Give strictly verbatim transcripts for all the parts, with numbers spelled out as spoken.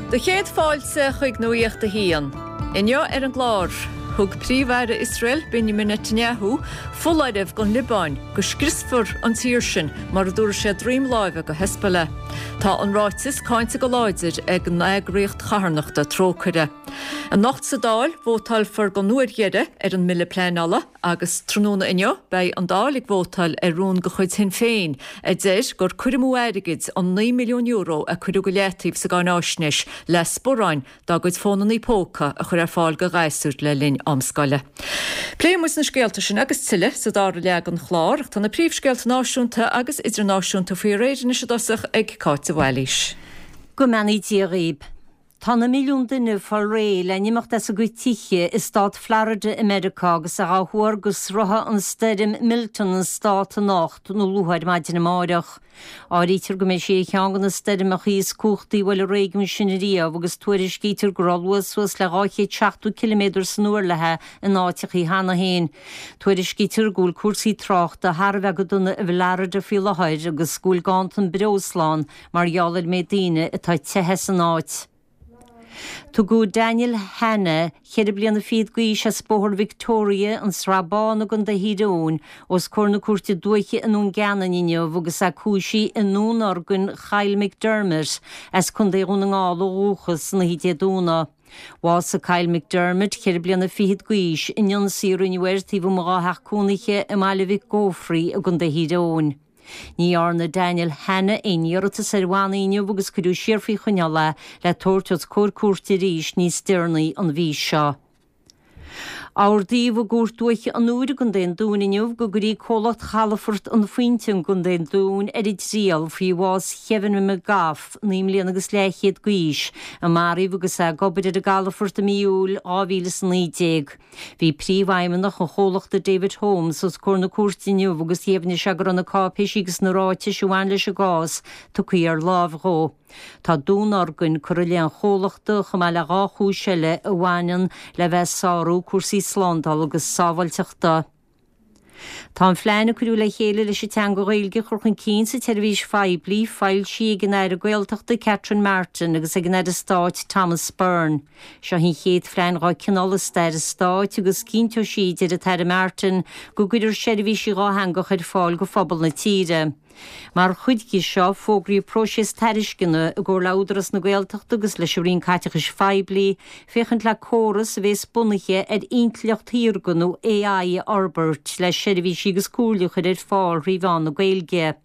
Do chéad fáilte chuig Nuacht a hAon. Inniu ar an gclár, thug Príomh-Aire Iosrael Benjamin Netanyahu foláireamh don Liobáin go scriosfar an tír sin mura dtabharfaidh sé droim láimhe do Hezbollah. Tá an ráiteas cáinte go láidir ag an eagraíocht charthanachta Trócaire. Anocht sa Dáil vótálfar don uair dheiridh ar an mbille pleanála agus tráthnóna inniu beidh an Dáil ag vótáil ar rún de chuid Shinn Féin a deir gur cur amú airgid an naoi milliún euro a cuireadh go leataobh sa gcáináisnéis le sparáin dá gcuid fónanna póca a chur ar fáil do ghasúir le linn am scoile. Pléifidh muid na scéalta sin agus tuilleadh sa dara leath den chlár, tá na príomhscéalta náisiúnta agus idirnáisiúnta faoi réir anois i dtosach ag Cáit de Bhailís. Go mbeannaí Dia dhaoibh. Tá na milliún duine ag fáil réidh le n-imeacht as a gcuid tithe i stát Florida i Meiriceá agus é á thuar go sroichfidh an stoirm Milton an stát anocht nó luath ar maidin amárach. Áirítear go mbeidh sí ar cheann de na stoirmeacha is cumhachtaí a bhuail an réigiún sin riamh agus tuairiscítear go raibh luas suas le dhá chéad seachtó ciliméadar san uair léi in áiteacha cheana féin. Tuairiscítear go bhfuil cúrsaí tráchta thar a bheith go dona i bhFlorida faoi láthair agus go bhfuil ganntan breosla ann mar gheall ar an méid daoine atá ag teitheadh as an áit. Tugadh Daniel Hanna, ceithre bliana fichead d'aois as Bóthar Victoria, an Srath Bán i gContae Thír Eoghain, os comhair na cúirte dúiche i nDún Geanainn inniu agus é cúisithe i ndúnorgain Kyle McDermott as Contae Dhún na nGall ó dhúchas san oíche Dé Domhnaigh. Bhásaigh Kyle McDermott, ceithre bliana fichead d'aois, in ionsaí a rinneadh air taobh amuigh dá theach cónaithe i mBaile Mhic Gofraidh i gContae Thír Eoghain. Ní dhearna Daniel Hanna aon iarratas ar bhannaí inniu agus cuireadh siar faoi choinneáil é le tabhairt os comhair cúirte arís níos deireanaí an mhí seo. Ordaíodh i gCúirt Dúiche an Iúir i gContae an Dúin inniu go gcuirfí comhlacht Chalafort an Phointe i gContae an Dúin ar a dtriail faoi bhás Kevin McGough, naoi mbliana agus leathchéad d'aois, a maraíodh agus é ag obair ar an gcalafort i mí Iúil dhá mhíle is a naoi déag. Bhí príomhfheidhmeannach an chomhlachta David Holmes os comhair na cúirte inniu agus dheimhnigh sé go raibh na cáipéisí agus na ráitis a bhain leis an gcás tugtha ar láimh dhó. Tá dúnorgain curtha i leith an chomhlachta chomh maith le dhá chúis eile a bhaineann le bheith ag sárú cúrsaí slándála agus sábháilteachta. Tá an phlean a cuireadh le chéile leis an teanga Ghaeilge a chur chun cinn sa tseirbhís phoiblí foilsithe ag an Aire Gaeltachta Catherine Martin agus ag an Aire Stáit Thomas Byrne. Seo an chéad phlean dá cineál i stair an stáit agus cinnteoidh sí, deir an tAire Martin, go gcuirfear seirbhísí dhátheangach ar fáil go phobal na tíre. Mar chuid de seo, fógraíodh próiseas tairisceana i gcomhar le Údarás na Gaeltachta agus leis an Roinn Caiteachais Phoiblí féachaint le córas a bhéas bunaithe ar intleacht shaorga nó AI a fhorbairt le seirbhísí agus comhairle a chur ar fáil thrí mheán na Gaeilge.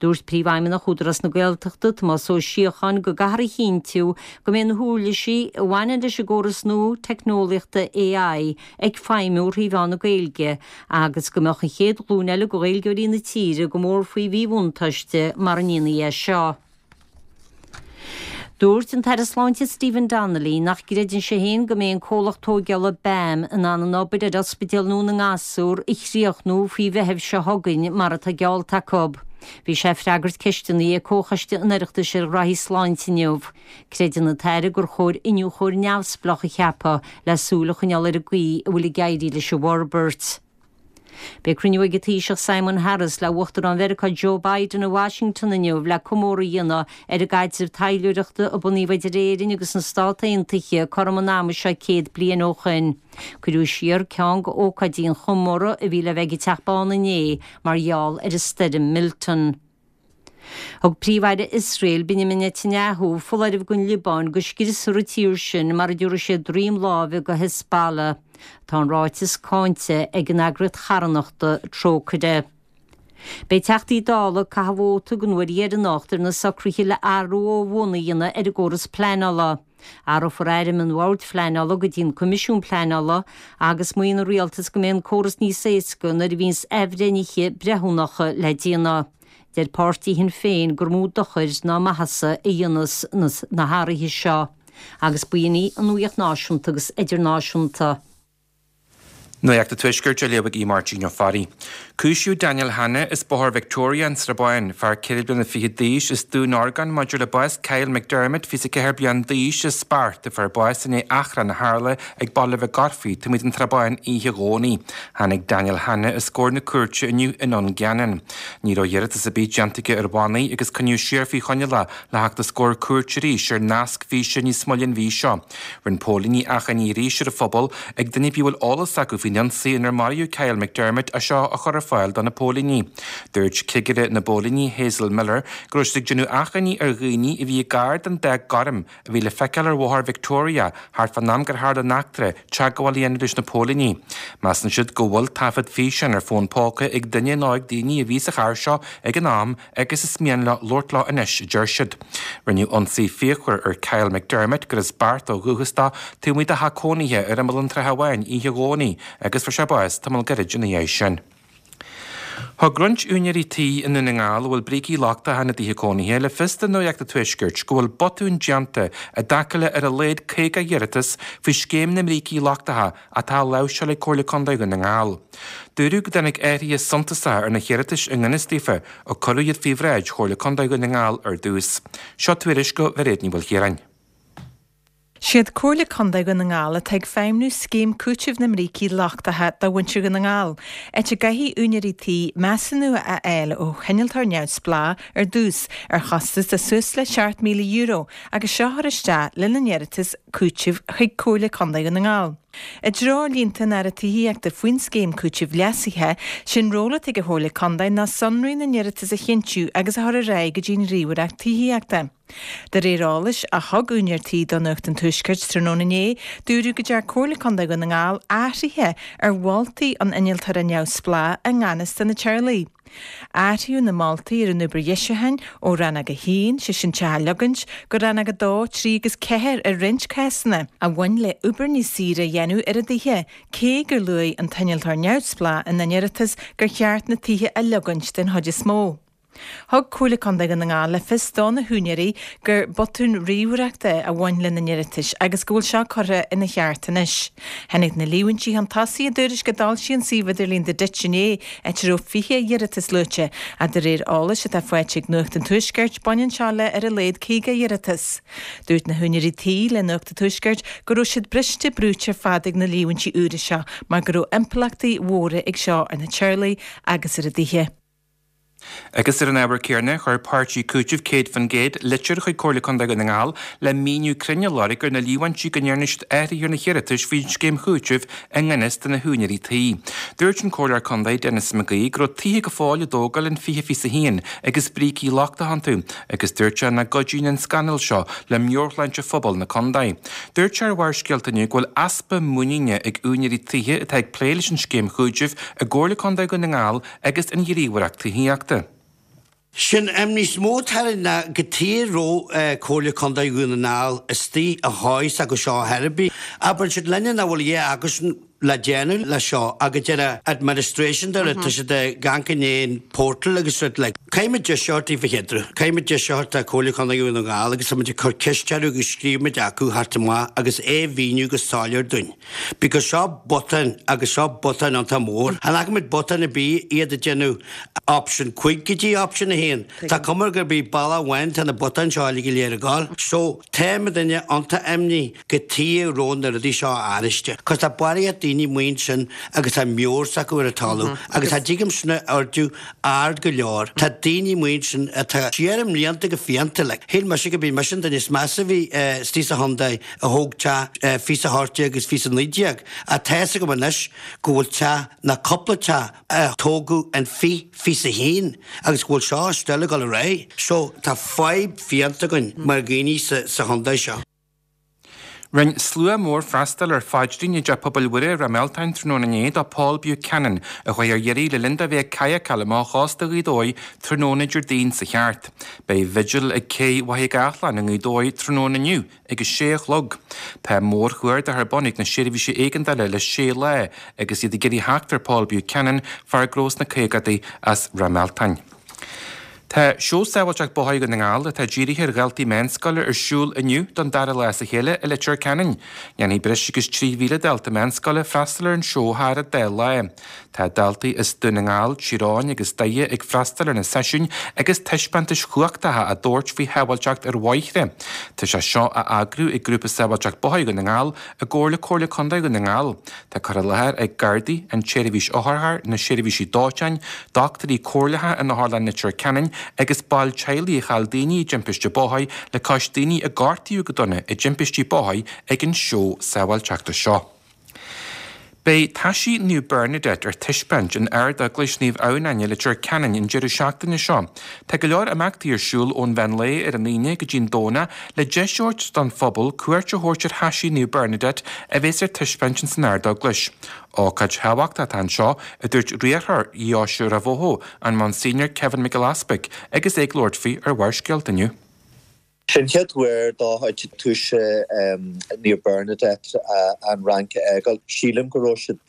Dúirt Príomhfheidhmeannach Údarás na Gaeltachta, Tomás Ó Síocháin, go gcaithfear a chinntiú go mbeidh na huirlisí a bhaineann leis an gcóras nua teicneolaíochta AI ag feidhmiú thrí mheán na Gaeilge agus go mbeadh an chéad ghlúin eile de Ghaeilgeoirí na tíre go mór faoi mhíbhuntáiste mura ndéanfaí é seo. Dúirt an tAire Sláinte Stephen Donnelly nach gcreideann sé féin go mbeidh an comhlacht tógála BAM in ann an obair ar Ospidéal nua na nGasúr a chríochnú faoi Mheitheamh seo chugainn mar atá geallta acu. Bhí sé ag freagairt ceisteanna ag Comhchoiste an Oireachtais ar Ghraithí Sláinte inniu. Creideann an tAire gur chóir iniúchóir neamhspleách a cheapadh le súil a choinneáil ar an gcaoi a bhfuil ag éirí leis an bhforbairt. Beidh cruinniú ag an Taoiseach Simon Harris le Uachtarán Mheiriceá Joe Biden i Washington inniu le comóradh a dhéanamh ar an gcaidreamh taidhleoireachta a bunaíodh idir Éirinn agus na Stát Aontaithe cothrom an ama seo céad bliain ó shin. Cuireadh siar ceann de ócáidí an chomóradh a bhí le bheith ag an Teach Bán inné mar gheall ar an stoirm Milton. Thug Príomh-Aire Iosrael, Benjamin Netanyahu, foláireamh don Liobáin go scriosfar an tír sin mura dtabharfaidh sé droim láimhe do Hezbollah. Tá an ráiteas cáinte ag an eagraíocht charthanachta Trócaire. Beidh Teachtaí Dála ag caitheamh vóta den uair dheireanach ar na socruithe le athrú ó bhun a dhéanamh ar an gcóras pleanála. Athrófar ainm an Bhoird Phleanála go dtí an Coimisiún Pleanála agus maíonn an rialtas go mbeidh an córas níos éasca nuair a bhíonns athbhreithnithe breithiúnacha le déanamh. Deir páirtí Shinn Féin gur mó dochair ná maitheasa a dhéanfas na hathruithe seo. Agus b'in í an nuacht náisiúnta agus idirnáisiúnta. Nuacht an Tuaiscirt á léamh ag Máirtín Ó Fearraigh. Cúisíodh Daniel Hanna as Bóthar Victoria an Srath Bán, fear ceithre bliana fichead d'aois as Dún Orgán maidir le bás Kyle McDermott fiche ceathair bliain d'aois as Spairt, a fuair bás i ndiaidh achrann a tharla ag Baile Mhic Gofraidh taobh amuigh den Tsrath Báin oíche Dhomhnaigh. Tháinig Daniel Hanna os comhair na cúirte inniu i nDún Geanainn. Ní raibh iarratas ar bith déanta aige ar bhannaí agus coinníodh siar faoi choinneáil é le theacht os comhair cúirte arís ar nasc físe níos moille an mhí seo. Rinne póilíní achainí arís ar an phobal ag duine ar bith a bhfuil eolas acu faoin ionsaí inar maraíodh Kyle McDermott é seo a chur ar fáil do na póilíní. Dúirt cigire na bpóilíní Hazel Miller go raibh siad ag déanamh achainí ar dhaoine a bhí gar don dath gorm a bhí le feiceáil ar Bhóthar Victoria thart fán am gur tharla an eachtra teagmháil a dhéanamh leis na póilíní. Measann siad go bhfuil taifead físeáin ar fón póca ag duine nó ag daoine a bhí sa charr seo ag an am agus is mian leo labhairt leo anois, a deir siad. Rinneadh ionsaí fíochmhar ar Kyle McDermott gur as Beart ó dhúchas dó taobh amuigh de theach cónaithe ar imeall an tSratha Bháin oíche Dhomhnaigh agus fuair sé bás tamall gairid ina dhiaidh sin. Thug roinnt úinéirí tí i nDún na nGall a bhfuil brící lochtacha ina dtithe cónaithe le fios do Nuacht an Tuaiscirt go bhfuil botúin déanta i dtaca le ar a laghad caoga iarratas faoi scéim na mbrící lochtacha atá á láimhseáil ag Comhairle Contae Dhún na nGall. Dúradh go dtáinig athruithe suntasacha ar na hiarratais i ngan fhios daofa ó cuireadh iad faoi bhráid Chomhairle Contae Dhún na nGall ar dtús. Seo tuairisc ó Mhairéad Ní Mhaoilchiaráin. Siad Comhairle Contae Dhún na nGall atá ag feidhmiú scéim cúitimh na mbrící lochtacha do mhuintir Dhún na nGall, áit a gcaithfidh úinéirí tí measúnú a fháil ó innealtóir neamhspleách ar dtús ar chostas de suas le seacht míle euro agus seo a chur isteach lena n-iarratas cúitimh chuig Comhairle Contae Dhún na nGall. I dtreoirlínte an Aire Tithíochta faoin scéim cúitimh leasaithe, sin ról atá ag an Chomhairle Contae ná sonraí na n-iarratas a chinntiú agus a chur ar aghaidh go dtí an Ghníomhaireacht Tithíochta. De réir eolais a thug úinéir tí do Nuacht an Tuaiscirt tráthnóna inné, dúradh go deir Comhairle Contae Dhún na nGall athruithe ar mholtaí an innealtóra neamhspleách i ngan fhios do na teaghlaigh. Athraíodh na moltaí ar an obair dheisiúcháin ó rannóg a haon, sé sin teach a leogaint, go rannóg a dó, trí agus ceathair i roinnt cásanna, a bhain le obair níos saoire a dhéanamh ar a dtithe, cé gur luaigh an t-innealtóir neamhspleách ina n-iarratas gur cheart na tithe a leogaint den chuid is mó. Thug Comhairle Contae Dhún na nGall le fios do na húinéirí gur botún ríomhaireachta a bhain lena n-iarratais agus go bhfuil seo curtha ina cheart anois. Tháinig na líomhaintí chun tosaigh i dtuairisc a d'fhoilsigh an suíomh idirlín The Ditch inné, áit a raibh fiche iarratas luaite, ach de réir eolais atá faighte ag Nuacht an Tuaiscirt, baineann seo le ar a laghad caoga iarratas. Dúirt na húinéirí tí le Nuacht an Tuaiscirt go raibh siad briste brúite ar fad ag na líomhaintí úra seo mar go raibh impleachtaí mhóra ag seo ar na teaghlaigh agus ar a dtithe. Agus ar an ábhar céanna, chuir páirtí cúitimh céad faoin gcéad litir chuig Comhairle Contae Dhún na nGall le míniú cruinn a lorg ar na líomhaintí go ndearna siad athruithe ar na hiarratais faoin scéim chúitimh i ngan fhios do na húinéirí tí. Dúirt an Comhairleoir Contae Denis McGee go raibh tithe go fóill á dtógáil in fiche fiche a haon agus brící lochtacha iontu, agus dúirt sé nach gcuidíonn an scannal seo le meabhairshláinte phobal na contae. Dúirt sé ar Bharrscéalta inniu go bhfuil easpa muiníne ag úinéirí tithe atá ag plé leis an scéim chúitimh i gComhairle Contae Dhún na nGall agus an Ghníomhaireacht Tithíochta. Sin imní is mó atá orainn ná cad chuige a raibh Comhairle Contae Dhún na nGall istigh a chóis acu seo ar bith. Abair siad linne nach bhfuil a dhath acusan le déanamh le seo agus deir administration de tá siad ag amharc in aon portal agus rud like. Caithfimid deiseoir taobh a chéadra. Caithfimid deiseoir tá Comhairle Contae Dhún na nGall agus táimid ag cur ceist orthu agus scríobhaimid acu thart amach agus é a mhíniú go soiléir dúinn. Because seo botún agus seo botún iontach mór. Chan fhaca muid botún ar bith iad ag déanamh option cúig go dtí option a haon. Tá cuma gurb í bealach amháin tá na botáin seo uilig go léir ag gabháil. So tá muidinne iontach imní cad chuige a raibh na rudaí seo athraithe. Cos tá barraíocht daoine amuigh ansin agus tá meabhair s'acu ar an talamh agus tá dtuigim sin ordú ard go leor. Tá daoine amuigh ansin atá siar i mblianta go fiánta like. Shíl mise go b'í mise an duine is measa a bhí istigh sa chontae a thóg teach fiche a hocht déag agus fiche a naoi déag. Ach tá fhios agam anois go bhfuil teach ná cúpla teach a tógadh in fiche fiche a haon agus go bhfuil seo still ag dul ar aghaidh. So tá fadhb fiánta againn mar dhaoine sa sa chontae seo. Rinne slua mór freastal ar phaidrín i dTeach Pobail Mhuire i Ráth Mealtain tráthnóna inné do Paul Buchanan a chuaigh ar iarraidh le linn dó bheith ag cadhcáil amach ó chósta Ghaoth Dobhair tráthnóna Déardaoin sa cheart. Beidh vigil ag cé Mhachaire Gathlán i nGaoth Dobhair tráthnóna inniu ag a sé a chlog. Tá mórchuardach ar bun ag na seirbhísí éigeandála le sé lá agus iad ag iarraidh theacht ar Paul Buchanan, fear gnó sna caogadaí as Ráth Mealtain. Tá seó sábháilteacht bóthair Dhún na nGall atá dírithe ar dhaltaí meánscoile ar siúl inniu don dara lá as a chéile i Leitir Ceanainn. Dhéanfaidh breis agus trí mhíle dalta meánscoile freastal ar an seó thar an dá lá. Tá daltaí as Dún na nGall, Tír Eoghain agus Doire ag freastal ar na seisiúin agus taispeántais chumhachtacha á dtabhairt faoi shábháilteacht ar bhóithre. Tá sé seo á eagrú ag Grúpa Sábháilteacht Bóthair Dhún na nGall i gcomhar le Comhairle Contae Dhún na nGall. Tá cur i láthair ag Gardaí, an tSeirbhís Otharcharr, na seirbhísí dóiteáin, dochtúirí comhairleacha in Otharlann Leitir Ceanainn agus baill teaghlaigh a chaill daoine i dtimpiste bóthair le cois daoine a gortaíodh go dona i dtimpistí bóthair ag an seó sábháilteachta seo. Beidh taisí Naomh Bernadette ar taispeáint in Ard-Eaglais Naomh Adhamhnáin i Leitir Ceanainn an deireadh seachtaine seo. Tá go leor imeachtaí ar siúl ón mheán lae ar an Aoine go dtí an Domhnach le deis a thabhairt don phobal cuairt a thabhairt ar thaisí Naomh Bernadette a bheas ar taispeáint san Ard-Eaglais. Ócáid thábhachtach atá anseo, a dúirt riarthóir Dheoise Ráth Bhoth, an Monsignor Kevin Mac Giolla Easbuig, agus é ag labhairt faoi ar Bharrscéalta inniu. Sin chéad uair dá túis Naomh Bernadette an Fhrainc a fhágáil. Sílim go raibh siad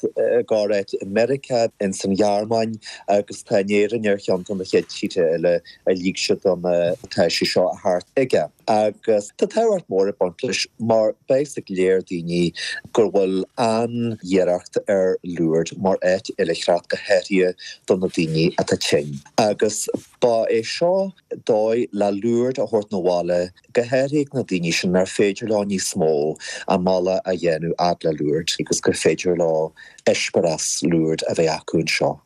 gáréit i Meiriceá in san Ghearmáin agus tá Éirinn ar cheann de na chéad tíortha eile a lig siad don taisí seo a theacht chuige. Agus tá tábhacht mór ag baint leis mar beidh ag léir daoine gur bhfuil an-iarracht ar Lourdes mar áit oilithreachta go háirithe do na daoine atá tinn. Agus ba é seo dóigh le Lourdes a thabhairt 'na bhaile go háirithe na daoine sin ar féidir leo níos mó a mbealach a dhéanamh fhad le Lourdes agus gur féidir leo eispéireas Lourdes a bheith acu anseo.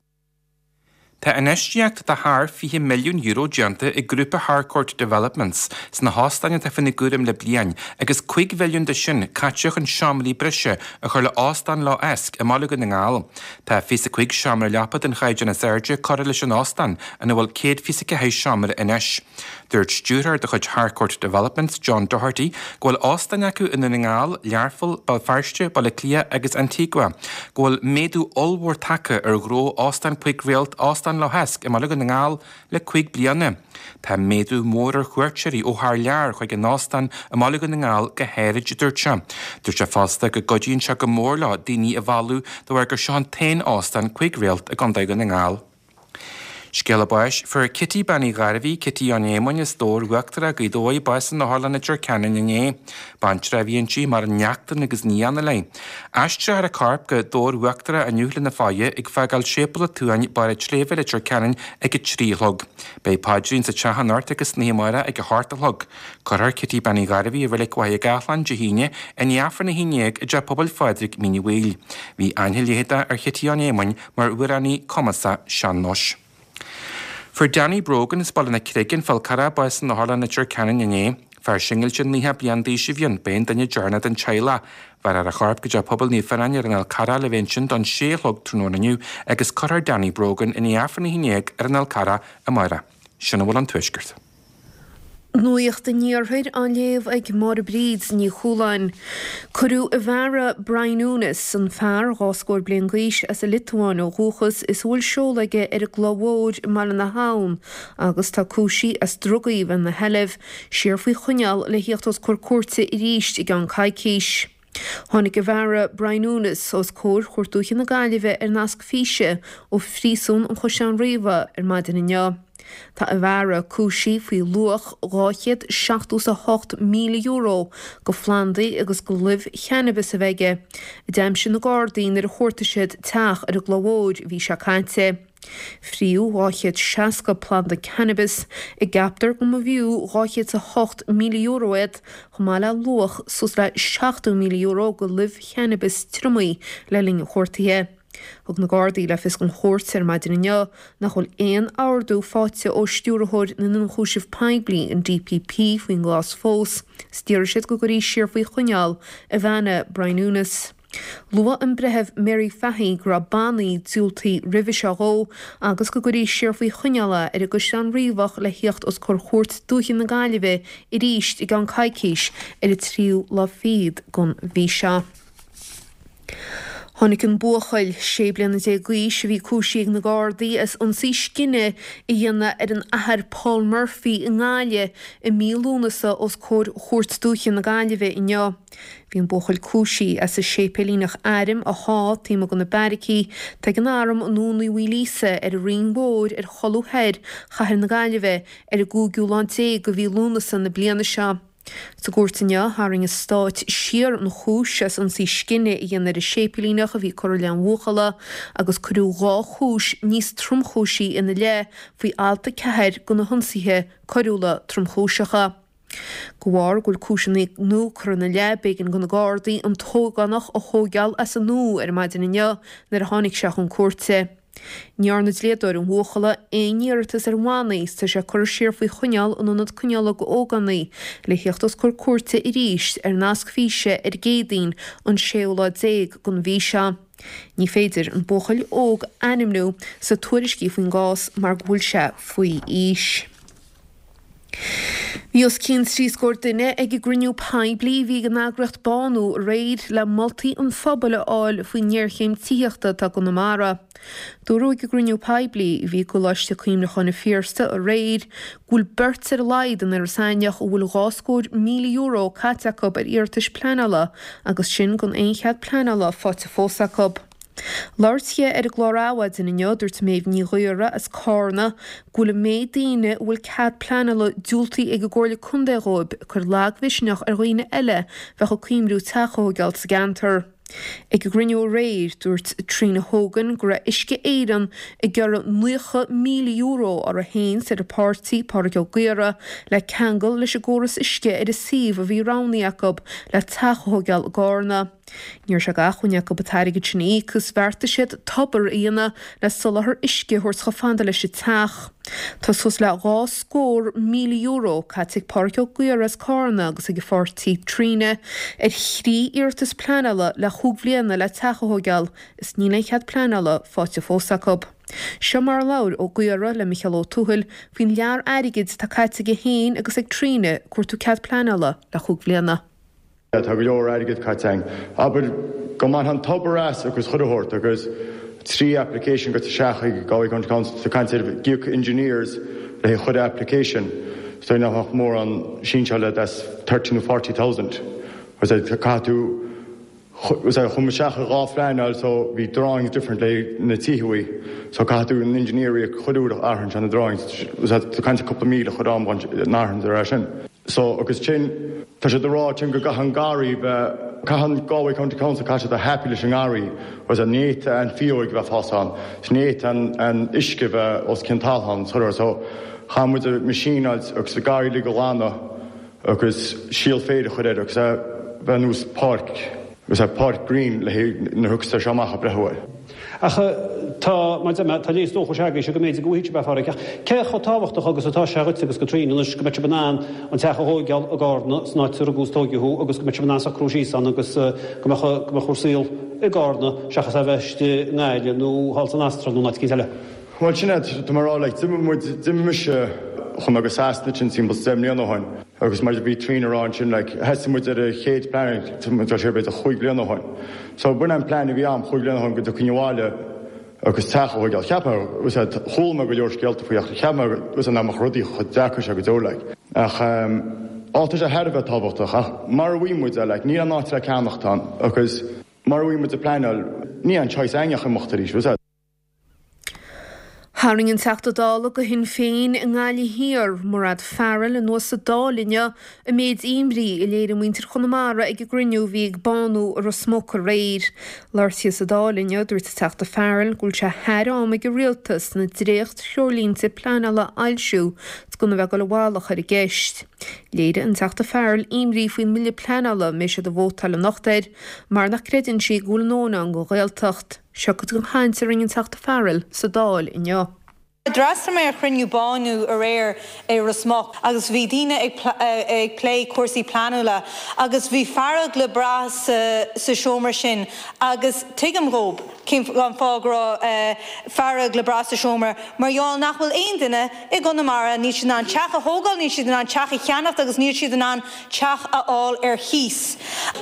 Tá infheistíocht de thar fiche milliún euro déanta ag grúpa Harcourt Developments sna hóstáin atá faoina gcúram le bliain agus cúig mhilliún de sin caite chun seomraí breise a chur le Óstán Loch Eisc i mBaile Dhún na nGall. Tá fiche cúig seomra leapa den chaighdeán is airde curtha leis an óstán ina bhfuil céad fiche ceathair seomra anois. Dúirt stiúrthóir de chuid Harcourt Developments, John Doherty, go bhfuil óstáin acu i nDún na nGall, Learpholl, Béal Feirste, Baile Átha Cliath agus Antigua, go bhfuil méadú ollmhór tagtha ar ghnó óstán cúig réalt Óstán Loch Eisc i mBaile Dhún na nGall le cúig bliana. Tá méadú mór ar chuairteoirí ó thar lear chuig an óstán i mBaile Dhún na nGall go háirid, a dúirt sé. Dúirt sé fosta go gcuidíonn sé go mór leo daoine a mhealladh de bharr gur seo an t-aon óstán cúig réalt i gContae Dhún na nGall. Scéala báis, fuair Kitty Bean Uí Ghairbhí, Kitty Sheáin Éamoinn as Dobhar Uachtarach Gaoth Dobhair bás in Otharlann Leitir Ceanainn inné. Baintreach a bhí inti mar neachtain agus nianna léi. Aistreofar a corp go Dobhar Uachtarach inniu lena faire ag fágáil Séipéal an tSuain Barr an tSléibhe Leitir Ceanainn ag a trí a chlog. Beidh paidrín sa teach anocht agus san oíche amárach ag a hocht a chlog. Cuirfear Kitty Bean Uí Ghairbhí i Reilig Mhachaire Gathlán Dé hAoine i ndiaidh Aifreann a haon déag i dTeach Pobail Phádraig Mín an Mhaoil. Bhí aithne leitheadach ar Chití Sheáin Éamoinn mar amhránaí cumasach sean-nóis. Fuair Danny Brogan as Baile na Creige an Fál Carrach bás in Otharlann Leitir Ceanainn inné. Fear singilte naocha bliain d'aois a bhí ann, b'é an duine deireanach den teaghlach. Bhéarfar a chorp go dtí Pobail Naomh Fionán ar an Fhál Carrach le bheith ansin don sé a chlog tráthnóna inniu agus cuirfear Danny Brogan i ndiaidh Aifreann a haon déag ar an Fhál Carrach amárach. Sin a bhfuil ón Tuaisceart. Nuacht an Iarthair á léamh ag Máire Bríd Ní Chualáin. Cuireadh a bhfeara Brian Unis, an fear dhá scór bliain d'aois as an Liotuáin ó dhúchas is a bhfuil seoladh aige ar an gCloich Mhór i mBaile na hAbhann agus tá cúisithe as drugaí a bheith ina sheilbh, siar faoi choinneáil le theacht os comhair cúirte arís i gceann coicís. Tháinig a bhfeara Brian Unis os comhair Chúirt Dúiche na Gaillimhe ar nasc físe ó phríosún an Chaisleáin Riabhaigh ar maidin inniu. Tá a bhfeara cúisithe faoi luach dhá chéad seachtó is a hocht míle euro de phlandaí agus de luibh channabis a bheith aige, a d'aimsigh na Gardaí nuair a chuartaigh siad teach ar an gCloich Mhór an mhí seo caite. Fríodh dhá chéad seasca planda cannabis a gceaptar go mb'fhiú dhá chéad is a hocht míle euro iad, chomh maith le luach suas le seachtó míle euro de luibh channabis triomaithe le linn an chuartaithe. Thug na Gardaí le fios don chúirt ar maidin inniu nach bhfuil aon ordú faighte ó stiúrthóir na n-ionchúiseamh poiblí, an D P P, faoin gcás fós, is d'iarr siad go gcuirfí siar faoi choinneáil a bheanna Brian Unis. Luaigh an breitheamh Mary Fahy go raibh bannaí diúltaithe roimhe seo dhó agus go gcuirfí siar faoi choinneáil é ar an gCaisleán Riabhach le theacht os comhair Chúirt Dúiche na Gaillimhe arís i gceann coicís ar an tríú lá fichead den mhí seo. Tháinig an buachaill sé bliana déag d'aois a bhí cúisithe ag na Gardaí as ionsaí scine a dhéanamh ar an Athair Paul Murphy i nGaillimh i mí Lúnasa os comhair Chúirt Dúiche na Gaillimhe inniu. Bhí an buachaill cúisithe as an séipéilíneach airm a shá taobh amuigh de na beairicí atá ag an Arm i nDún Uí Mhaoilíosa ar an Rinn Mhór ar cholbha thoir chathair na Gaillimhe ar an gcúigiú lá déag de mhí Lúnasa na bliana seo. Sa gcúirt inniu, tharraing an Stát siar an chúis as ionsaí scine a dhéanamh ar an séipéilíneach a bhí curtha i leith an bhuachalla agus cuireadh dhá chúis níos tromchúisí ina leith faoi alt a ceathair de na hIonsaithe Coiriúla Tromchúiseacha. De bharr go bhfuil cúiseanna nua curtha ina leith, b'éigean do na Gardaí an t-ógánach a thóigeáil as an nua ar maidin inniu nuair a tháinig sé chun cúirte. Ní dhearna dlíodóir an bhuachalla aon iarratas ar bhannaí is tá sé curtha siar faoi choinneáil in ionad coinneála d'ógánaigh le theacht os comhair cúirte arís ar nasc físe ar an gCéadaoin an séú lá déag den mhí seo. Ní féidir an buachaill óg a ainmniú sa tuairiscí faoin gcás mar go bhfuil sé faoi aois. Bhí os cionn trí scór duine ag an gcruinniú poiblí a bhí ag an eagraíocht Bánú aréir le moltaí an phobail a fháil faoin ngéarchéim tithíochta atá i gConamara. Dúradh ag an gcruinniú poiblí a bhí i gColáiste Cuimhneacháin an Phiarsaigh aréir go bhfuil beirt ar a laghad in Iorras Aithneach a bhfuil dhá scór míle euro caite acu ar iarratais pleanála agus sin gan aon chead pleanála faighte fós acu. Labhairt di ar an gclár Adhmhaidin inniu, dúirt Méabh Ní Ghaora as Cárna go bhfuil an méid daoine a bhfuil cead pleanála diúltaithe ag an gComhairle Contae dhóibh ag cur lagmhisneach ar dhaoine eile bheadh ag cuimhniú teach a thóigeáil sa gceantar. Ag an gcruinniú aréir, dúirt Trina Hogan go raibh Uisce Éireann ag iarraidh naocha míle euro orthu féin is ar a páirtí, Pádraig Ó Gaora, le ceangal leis an gcóras uisce ar an suíomh a bhí roghnaithe acu le teach a thóigeáil i gCárna. Ní raibh sé d'acmhainn acu an t-airgead sin a íoc is bheartaigh siad tobar a dhéanamh le soláthar uisce a thabhairt chomh fada leis an teach. Tá suas le dhá scór míle euro caite ag Pádraig Ó Gaora as Cárna agus ag a pháirtí Trina ar thrí iarratas pleanála le chúig bhliana le teach a thóigeáil is níl aon chead pleanála faighte fós acu. Seo mar a labhair Ó Gaora le Micheál Ó Tuathail faoin lear airgid atá caite aige féin agus ag Trina ag cuartú cead pleanála le chúig bhliana. Tá go leor airgead caite againn. Abair go mbainfeá an tobar as agus chuile shórt agus trí application goite isteach ag Galway County Council tá caint ar íoc engineers le haghaidh chuile application so nach mbeadh mórán sinseáil that's thirty nó forty thousand. Caithfidh tú chuaigh isteach ar dhá phleanáil so bhí drawings different le na tithe uaidh so caithfidh tú an engineer a íoc chuile uair a athraíonn sé na drawings tá caint ar cúpla míle chur am an athraíonn ar sin. So agus sin tá siad ag rá sin go gcaithfidh an garraí bheith caithfidh an Galway County Council caithfidh siad bheith happy leis an ngarraí agus ní fhéadfadh an fhióg bheith fás ann is ní fhéadfadh an an uisce bheith os cionn talamh ann so chaith muid machine agus garraí uilig a ghlanadh agus síol féir a chur air agus é bheith nós páirc agus é páirc green le haghaidh na thiocfas seo amach a breith uaidh. Ach tá, mar deir mé, tá léas dóchais agaibhse go mb'fhéidir go bhfaighidh sibh é, a Phádraig, ach cé chomh tábhachtach agus atá sé dhuit agus do Tríona anois go mbeidh sibh in ann an teach a thóigeáil i gCárna san áit a rugadh is tóigeadh thú agus go mbeidh sibh in ann socrú síos ann agus go mbeadh, go mbeadh bhur saol i gCárna seachas é a bheith istigh i nGaillimh nó thall san Astráil nó in áit eicínt eile? Bhuel, sin é, tá mé ag rá, like, d'imigh muid, d'imigh mise, chuaigh mé go Sasana ansin timpeall is deich mbliana ó shin agus mar a bhí Tríona ag rá ansin, like, thosaigh muid ar an chéad plean, tá muid ag dul siar b'fhéidir chúig bliana ó shin. So b'in an plean a bhí a'm chúig bliana ó shin go dtiocfainn abhaile agus teach a thóigeáil. Cheap mé, was it, chuala mé go leor scéalta faoi ach cheap mé, was it, nach mbeadh rudaí chomh deacair seo go deo, like. Ach, ehm, á tá sé thar a bheith tábhachtach ach mar a bhí muid, like, níl aon áit le ceannacht ann agus mar a bhí muid ag pleanáil, níl aon choice againn ach imeacht arís, was it. Tharraing an Teachta Dála do Shinn Féin i nGaillimh Thiar, Mairéad Farrell, anuas sa Dáil inniu an méid imní a léirigh muintir Chonamara ag an gcruinniú a bhí ag Bánú i Ros Muc aréir. Labhairt di sa Dáil inniu, dúirt an Teachta Farrell go bhfuil sé thar am ag an Rialtas na dréacht-threoirlínte pleanála a fhoilsiú 's gan a bheith ag dul i bhfalach ar an gceist. Léirigh an Teachta Farrell imní faoin mbille pleanála a mbeidh siad ag vótáil anocht air mar nach gcreideann sí go bhfuil a ndóthain ann don Ghaeltacht. Seo cuid den chaint a rinne an Teachta Farrell sa Dáil inniu. D'fhreastail mé ar chruinniú Bánú aréir i Ros Muc agus bhí daoine ag ag plé cúrsaí pleanála agus bhí fearg le brath sa sa seomra sin agus tuigim dhóibh cén fáth go raibh fearg le brath sa seomra mar gheall nach bhfuil aon duine i gConamara níl siad in ann teach a thógáil, níl siad in ann teach a cheannacht agus níl siad in ann teach a fháil ar chíos.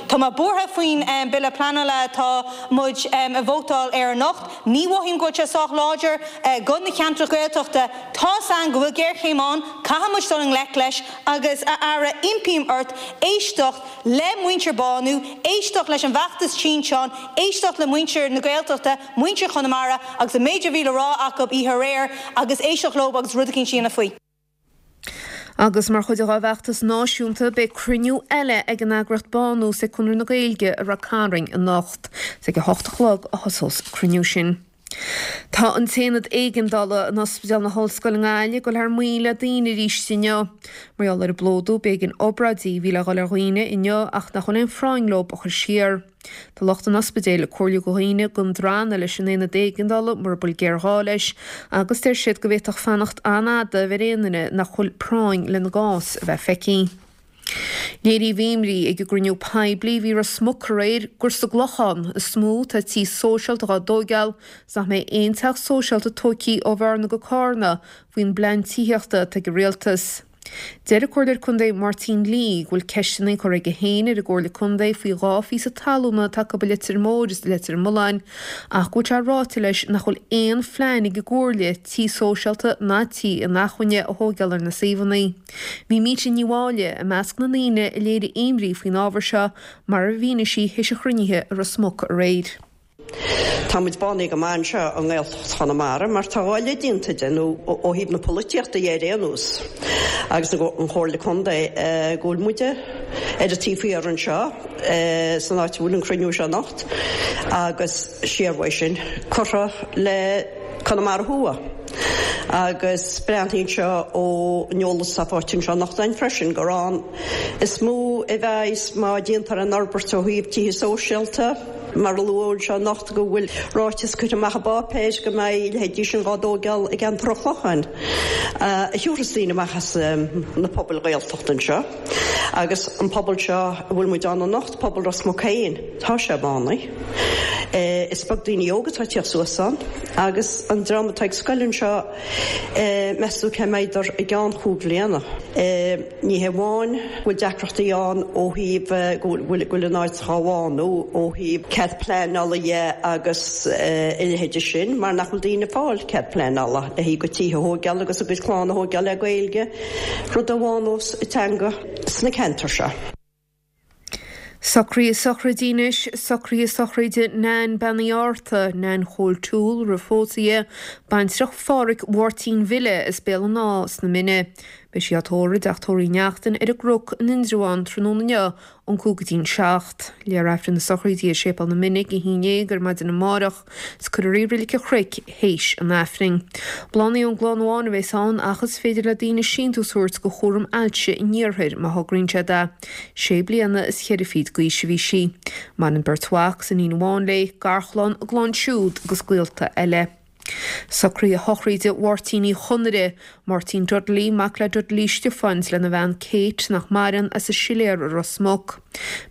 Tá mé buartha faoin bille pleanála atá muid ag vótáil air anocht. Ní mhothaím go bhfuil sé sách láidir do na ceantracha Gaeltachta. Tá's againn go bhfuil géarchéim ann, caithfidh muid dul i ngleic leis agus a Aire impím ort éisteacht le muintir Bánú, éisteacht leis an bhfeachtas Tinteán, éisteacht le muintir na Gaeltachta, muintir Chonamara agus an méid a bhí le rá acu oíche aréir agus éisteacht leo agus rud eicínt a dhéanamh faoi. Agus mar chuid dá bhfeachtas náisiúnta, beidh cruinniú eile ag an eagraíocht Bánú is ag Conradh na Gaeilge i Ráth Cairn anocht. Is ag a hocht a chlog a thosós an cruinniú sin. Tá an t-aonad éigeandála in Ospidéal na hOllscoile i nGaillimh ag dul thar maoil le daoine arís inniu. Mar gheall ar an bplódú, b'éigean obráidí a bhí le dhul ar dhaoine inniu ach nach bhfuil aon phráinn leo a chur siar. Tá lucht an ospidéil ag comhairliú do dhaoine gan drannadh leis an aonad éigeandála mura bhfuil géarghá leis agus deir siad go bhféadfadh fanacht an-fhada a bheith ar aon duine nach bhfuil práinn lena gcás a bheith feicthe. Léiríodh imní ag an gcruinniú poiblí a bhí i Ros Muc aréir gur sa gClochán is mó atá tithe sóisialta dhá dtóigeáil is nach mbeidh aon teach sóisialta tóigthe ó Bhearna go Cárna faoin bplean tithíochta atá ag an rialtas. Deir an Comhairleoir Contae Máirtín Lee go bhfuil ceisteanna curtha aige féin ar an gComhairle Contae faoi dhá phíosa talúna atá acu i Leitir Móir is i Leitir Mealláin ach go bhfuil sé ráite leis nach bhfuil aon phlean ag an gComhairle tí sóisialta ná tí inacmhainne a thóigeáil ar na suíomhanna. Bhí Míte Ní Mháille i measc na ndaoine a léirigh imní faoin ábhar seo mar a mhínigh sí théis an chruinnithe i Ros Muc aréir. Tá muid bánaithe go maith anseo i nGaeltacht Chonamara mar tá dhá leith déanta de, nó ó thaobh na polaitíochta dhe ar aon nós, agus an Chomhairle Contae, go bhfuil muide ar an taobh thiar anseo san áit a bhfuil an cruinniú seo anocht agus siar uaidh sin curtha le Conamara Thuaidh. Agus breathnaíonn sé ón eolas atá faighte anseo anocht againn freisin gur ann is mó a bheas má déantar an fhorbairt ó thaobh tithe sóisialta, Mar a luadh anseo anocht go bhfuil ráiteas curtha amach i bpáipéir go mbeidh a leithéidí sin dhá dtóigeáil i gceantar an Chlocháin, a thiúrfas daoine amach as na pobail Ghaeltachta anseo. Agus an pobal seo a bhfuil muid ann anocht, pobal Ros Muc féin, tá sé bánaithe. Is beag daoine óga atá ag tíocht suas ann agus an dream atá ag scoil anseo, meas tú cá mbeidar i gceann chúig bhliana? Ní hé amháin go bhfuil deacrachtaí ann ó thaobh go bhfuil an áit dhá bhánú ó thaobh cead pleanála dhe agus a leithéide sin mar nach bhfuil daoine ag fáil cead pleanála le haghaidh a gcuid tithe a thóigeáil agus a gcuid clann a thóigeáil le Gaeilge, rud a bhánós an teanga sna ceantair seo. Socruithe sochraide anois, socruithe sochraide Nan Bean Uí Fhátharta, Nan Chóil Toole roimh phósadh di, baintreach Phádhraic Mháirtín Bhille as Béal an Átha sna Mine. Beidh sí á tórramh i dTeach Tórraimh Uí Neachtain ar an gCnoc in Indreabhán tráthnóna inniu ón cúig go dtí'n seacht. Léifear Aifreann na sochraide i Séipéal na Mine ag a haon déag ar maidin amárach is cuirfear í i Reilig an Chnoic théis an Aifrinn. Bláthanna ón gclann amháin a bheas ann ach is féidir le daoine síntiús a thabhairt do Chúram Ailse an Iarthair má thograíonn siad é. Sé bliana is cheithre fichid d'aois a bhí sí. Maireann beirt mhac is iníon amháin léi, garchlann, a gclann siúd agus gaolta eile. Socruithe sochraide Mháirtín Uí Chonaire, Máirtín Dudley, mac le Dudley Stiofáin is lena bhean Kate, nach maireann, as an Siléar i Ros Muc.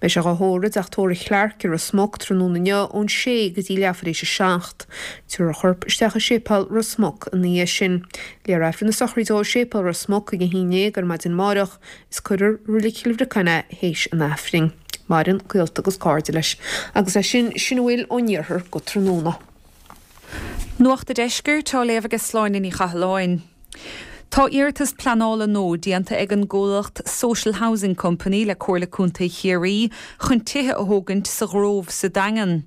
Beidh sé dhá thórramh i dTeach Tórraimh Chlarke i Ros Muc tráthnóna inniu ón sé go dtí leathuair éis a seacht. Tabharfar a chorp isteach i Séipéal Ros Muc ina dhiaidh sin. Léifear Aifreann na sochraide ó Séipéal Ros Muc ag a haon déag ar maidin amáireach is cuirfear i Reilig Chill Bhriocáin é théis an Aifrinn. Maireann gaolta agus cairde leis. Agus leis sin, sin a bhfuil ón iarthar go tráthnóna. Nuacht an Deiscirt á léamh ag Sláine Ní Chathalláin. Tá iarratas pleanála nua déanta ag an gcomhlacht Social Housing Company le Comhairle Contae Chiarraí chun tithe a thógaint sa Ghrove sa Daingean.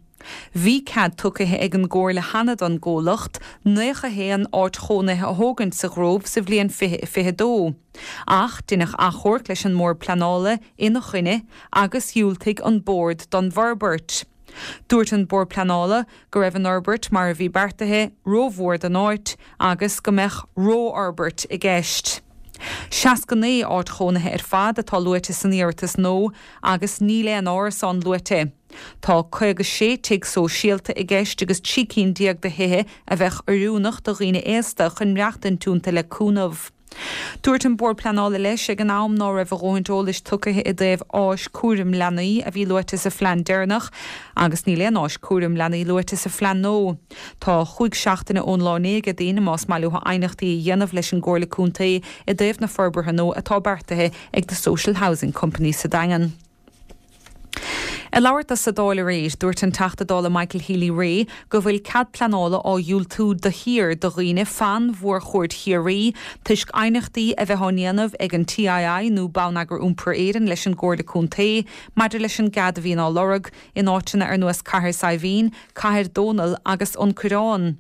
Bhí cead tugtha ag an gComhairle cheana don gcomhlacht naocha haon áit chónaithe a thógaint sa Ghrove sa bhliain fiche fiche dó. Ach deineadh achomharc leis an mBord Pleanála ina choinne agus dhiúltaigh an Bord don bhforbairt. Dúirt an Bord Pleanála go raibh an fhorbairt mar a bhí beartaithe rómhór don áit agus go mbeadh rófhorbairt i gceist. Seasca naoi áit chónaithe ar fad atá luaite san iarratas nua agus níl aon árasán luaite. Tá caoga sé tigh sóisialta i gceist agus trí cinn déag de thithe a bheadh oiriúnach do dhaoine aosta chun maireachtaint iontu le cúnamh. Dúirt an Bord Pleanála leis ag an am ná raibh a dhóthain eolais tugtha i dtaobh áis cúram leanaí a bhí luaite sa phlean deireanach agus níl aon áis cúram leanaí luaite sa phlean nua. Tá chúig seachtaine ón lá inné ag daoine más maith leo aighneachtaí a dhéanamh leis an gComhairle Contae i dtaobh na forbartha nua atá beartaithe ag The Social Housing Company sa Daingean. Ag labhairt dó sa Dáil aréir, dúirt an Teachta Dála Michael Healy-Rae go bhfuil cead pleanála á dhiúltú de shíor do dhaoine fan mhórchuaird Chiarraí toisc aighneachtaí a bheith á ndéanamh ag an TII nó Bonneagar Iompair Éireann leis an gComhairle Contae maidir leis an gcead a bhíonn á lorg in áiteanna ar nós Cathair Saidhbhín, Cathair Dónall agus An Coireán.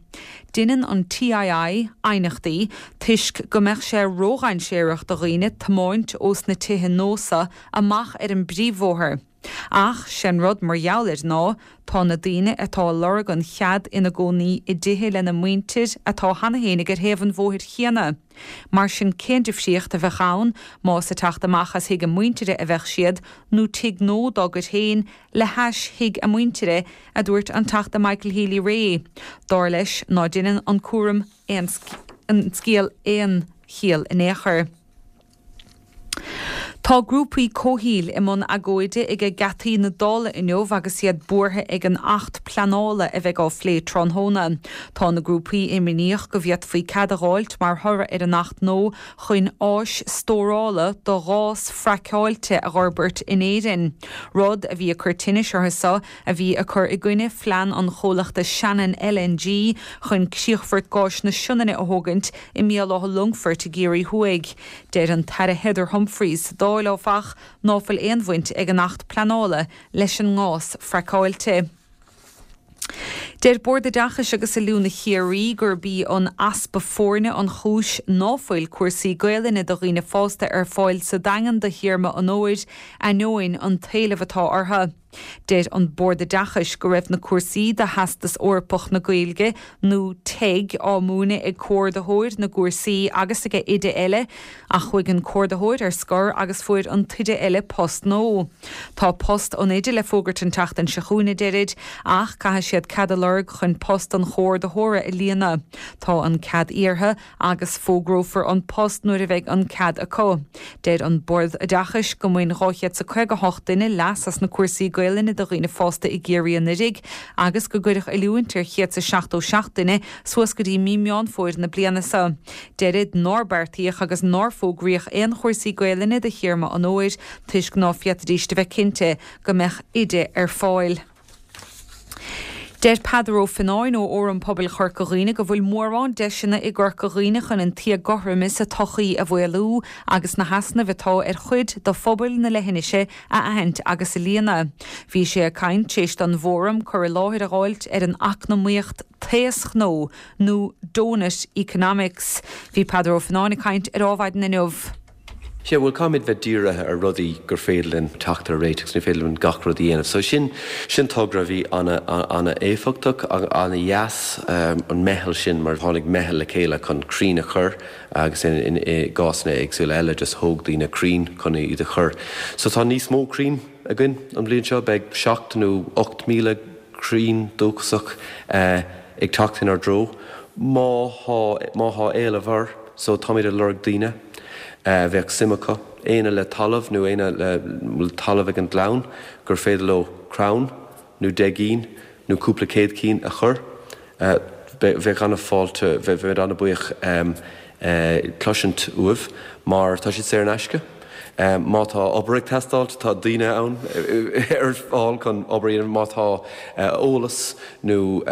Deineann an TII aighneachtaí toisc go mbeadh sé ródhainséarach do dhaoine tiomáint ós na tithe nua seo amach ar an bpríomhbhóthar. Ach sé'n rud mar gheall air ná tá na daoine atá ag lorg an chead ina gcónaí i dtithe lena muintir atá cheana féinig ar thaobh an bhóthair chéanna. Mar sin cén difríocht a bheadh ann más ag teacht amach as thigh a muintire a bheadh siad nó tigh nua dá gcuid féin le hais thigh a muintire, a dúirt an Teachta Michael Healy-Rae. Dar leis ná deineann an cúram aon an scéal aon chiall in aon chor. Tá grúpaí comhshaoil i mbun agóide ag geataí na Dála inniu agus iad buartha ag an Acht Pleanála a bheidh á phlé tráthnóna. Tá na grúpaí imníoch go bhféadfaí cead a dh'fháilt mar thoradh ar an Acht nua chun áis stórála do ghás fraiceáilte a dh'fhorbairt in Éirinn. Rud a bhí ag cur tinnis orthu seo a bhí ag cur i gcoinne phlean an chomhlachta Shannon LNG chun críochfort gáis na Sionainne a thógaint i mBéal Átha Longfoirt i gCiarraí Thuaidh. Deir an tAire Heather Humphreys sa Dáil áfach ná fuil aon bhaint ag an Acht Pleanála leis an ngás fraiceáilte. Deir Bord Oideachais agus Oiliúna Chiarraí gurb í an easpa foirne an chúis ná fuil cúrsaí Gaelainne do dhaoine fásta ar fáil sa Daingean do théarma an fhómhair, ainneoin an t-éileamh atá orthu. Deir an Bord Oideachais go raibh na cúrsaí do Theastas Eorpach na Gaeilge nó TEG á múineadh ag comhordaitheoir na gcúrsaí agus ag oide eile, ach chuaigh an comhordaitheoir ar scor agus fuair an t-oide eile post nua. Tá post an oide le fógairt an tseachtain seo chugainn, a deirid, ach caithfidh siad cead a lorg chun post an chomhordaitheora a líonadh. Tá an cead iarrtha agus fógrófar an post nuair a bheidh an cead acu. Deir an Bord Oideachais go mbain dhá chéad is a caoga hocht duine leas as na cúrsaí Gaelainne do dhaoine fásta i gCiarraí anuraidh agus go gcuireadh oiliúint ar chéad is a seachtó seacht duine suas go dtí mí Meán Fómhair na bliana seo. Deirid nár beartaíodh agus nár fógraíodh aon chúrsaí Gaelainne do théarma an fhómhair toisc ná féadfaidís a bheith cinnte go mbeadh oide ar fáil. Deir Peadar Ó Fionnáin ó Fhóram Pobail Chorca Dhuibhne go bhfuil mórán deiseanna i gCorca Dhuibhne chun an t-éagothroime sa tsochaí a mhaolú agus na heasnaimh atá ar chuid de phobail na leithinise a aithint agus a líonadh. Bhí sé ag caint tar éis don bhfóram cur i láthair a dh'fháilt ar an eacnamaíocht taoschnó nó Doughnut Economics. Bhí Peadar Ó Fionnáin ag caint ar Adhmhaidin inniu. Sea, bhuel, caithfimid bheith dírithe ar rudaí gur féidir linn teacht ar réiteach agus ní féidir linn gach rud a dhéanamh. So sin, sin togra a bhí an-éifeachtach, an-dheas, an meitheal sin mar tháinig meitheal le chéile chun crainn a chur agus in i gcásanna éagsúla eile just thóg daoine crainn chun iad a chur. So tá níos mó crainn againn an bhliain seo, beidh seacht nó ocht míle crainn dúchasach ag teacht inár dtreo má thá, má thá éileamh air. So táimid ag lorg daoine. a bheadh suim acu, éinne le talamh nó éinne le bhfuil talamh ag an gclann gur féidir leo crann nó deich gcinn nó cúpla céad cinn a chur. Bheadh an-fháilte, bheinn an-bhuíoch cloisint uaibh mar tá siad saor in aisce. Má tá obair ag teastáilt, tá daoine ann ar fáil chun obair a dhéanamh. Má tá eolas nó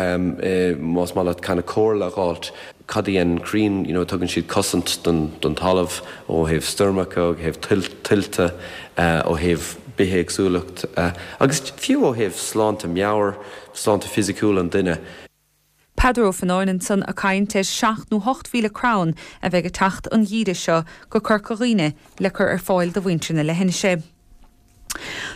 más maith leat kind of comhairle a dh'fháilt, cad a dhéanann crainn, you know, tugann siad cosaint don don talamh ó thaobh stoirmeacha, ó thaobh tuilte, ó thaobh bithéagsúlacht agus fiú ó thaobh sláinte meabhair, sláinte fisiciúil an duine. Peadar Ó Fionnáin ansan ag caint ar seacht nó hocht mhíle crann a bheidh ag teacht an gheimhreadh seo go Corca Dhuibhne le cur ar fáil do mhuintir na leithinise.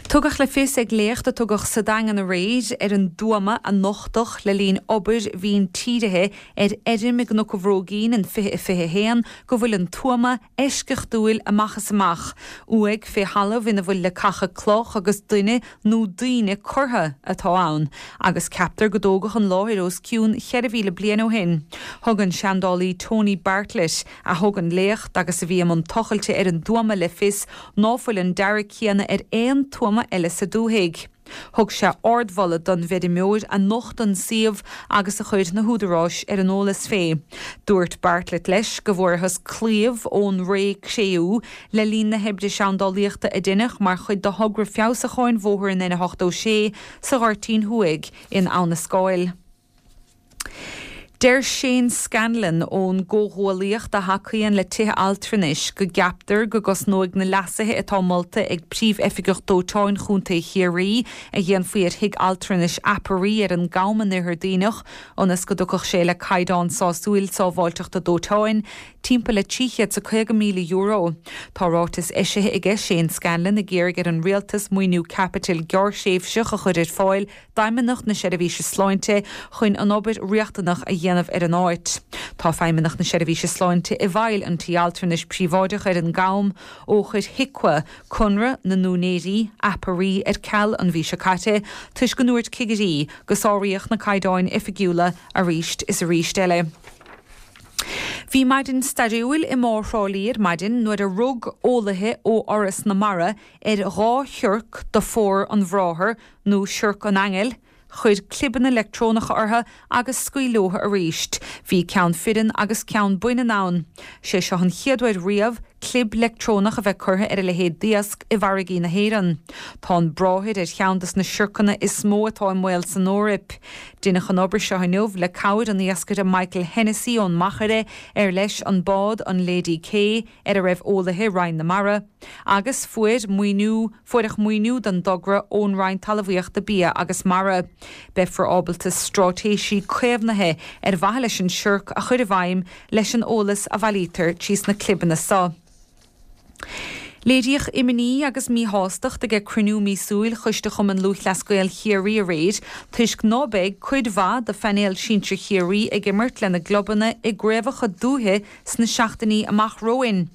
Tugadh le fios ag léacht a tugadh sa Daingean aréir ar an dtuama a nochtadh le linn obair mhíntírithe ar fheirm i gCnoc an Bhróigín in fiche fiche a haon go bhfuil an tuama eisceachtúil amach is amach. Uaigh fé thalamh ina bhfuil leacacha cloch agus duine nó daoine curtha atá ann agus ceaptar go dtógadh an láthair os cionn cheithre mhíle bliain ó shin. Thug an seandálaí Tony Bartlett, a thug an léacht agus a bhí i mbun tochailte ar an dtuama le fios ná fuil an dearadh céanna ar aon tuama eile sa dúthaigh. Thug sé ardmholadh don bhfeirmeoir a nocht an suíomh agus a chuir na húdaráis ar an eolas fé. Dúirt Bartlett leis go bhfuarthas claíomh ón ré Cré-umha le linn na hoibre seandálaíochta a deineadh mar chuid de thogra feabhsúcháin bhóthar an N a hochtó sé sa Ghoirtín Thuaidh in Abha na Scáil. Deir Shane Scanlon ón gcomhghuaillíocht a thacaíonn le tithe altranais go gceaptar go gcosnóidh na leasuithe atá molta ag Príomh-Oifigeach Dóiteáin Chontae Chiarraí a dhéanfaí ar thigh altranais Aperee ar an gCam in Oirthear Duibhneach ionas go dtiocfadh sé le caighdeán sásúil sábháilteachta dóiteáin timpeall le trí chéad is caoga míle euro. Tá ráiteas eisithe aige Shane Scanlon ag iarraidh ar an rialtas maoiniú caipitil gearrthréimhseach a chur ar fáil d'Fheidhmeannacht na Seirbhíse Sláinte chun an obair riachtanach a dhéanamh ar an áit. Tá Feidhmeannacht na Seirbhíse Sláinte i bhfeighil an tí altranais príobháideach ar an gCam ó chuir HIQA conradh na n-úinéirí, Aperee, ar ceal an mhí seo caite toisc go ndúirt cigirí go sáraíodh na caighdeáin oifigiúla arís is arís eile. Bhí maidin stairiúil i mBá Thrá Lí ar maidin nuair a rug eolaithe ó Fhoras na Mara ar dhá shiorc de phór an bhráthair nó siorc an aingil, chuir clibeanna leictreonacha orthu agus scaoil leo arís. Bhí ceann fireann agus ceann baineann ann. Sé seo an chéad uair riamh clib leictreonach a bheith curtha ar a leithéid d'iasc i bhfarraigí na hÉireann. Tá an bráthair ar cheann des na siorcanna is mó atá i mbaol san Eoraip. Deineadh an obair seo inniu le cabhair an iascaire Michael Hennessy ón Machaire ar leis an bád an Lady K ar a raibh eolaithe Roinn na Mara, agus fuair maoiniú fuaireadh maoiniú don dtogra ón Roinn Talmhaíochta Bia agus Mara. Beifear ábalta straitéisí caomhnaithe ar mhaithe leis an siorc a chur i bhfeidhm leis an eolas a bhailítear trí sna clibeanna seo. Léiríodh imní agus míshástacht ag cruinniú míosúil Choiste Chumann Lúthchleas Gael Chiarraí aréir toisc ná beidh cuid mhaith de phainéal sinsir Chiarraí ag imirt lena gclubanna i gcraobhacha dúiche sna seachtainí amach romhainn.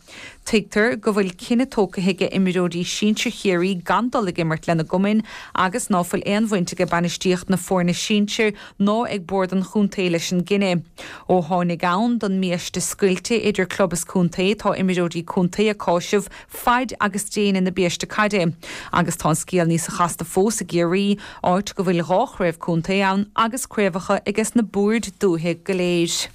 Tuigtear go bhfuil cinneadh tógtha ag imreoirí sinsir Chiarraí gan dul ag imirt lena gcumainn agus ná fuil aon bhaint ag bainistíocht na foirne sinsir ná ag bord an chontae leis an gcinneadh. Ó tháinig ann don mbiaiste scoilte idir club is contae tá imreoirí contae ag cáiseamh faid agus déine na biaiste caide, agus tá an scéal níos casta fós i gCiarraí, áit go bhfuil dhá chraobh contae ann agus craobhacha ages na boird dúiche go léir.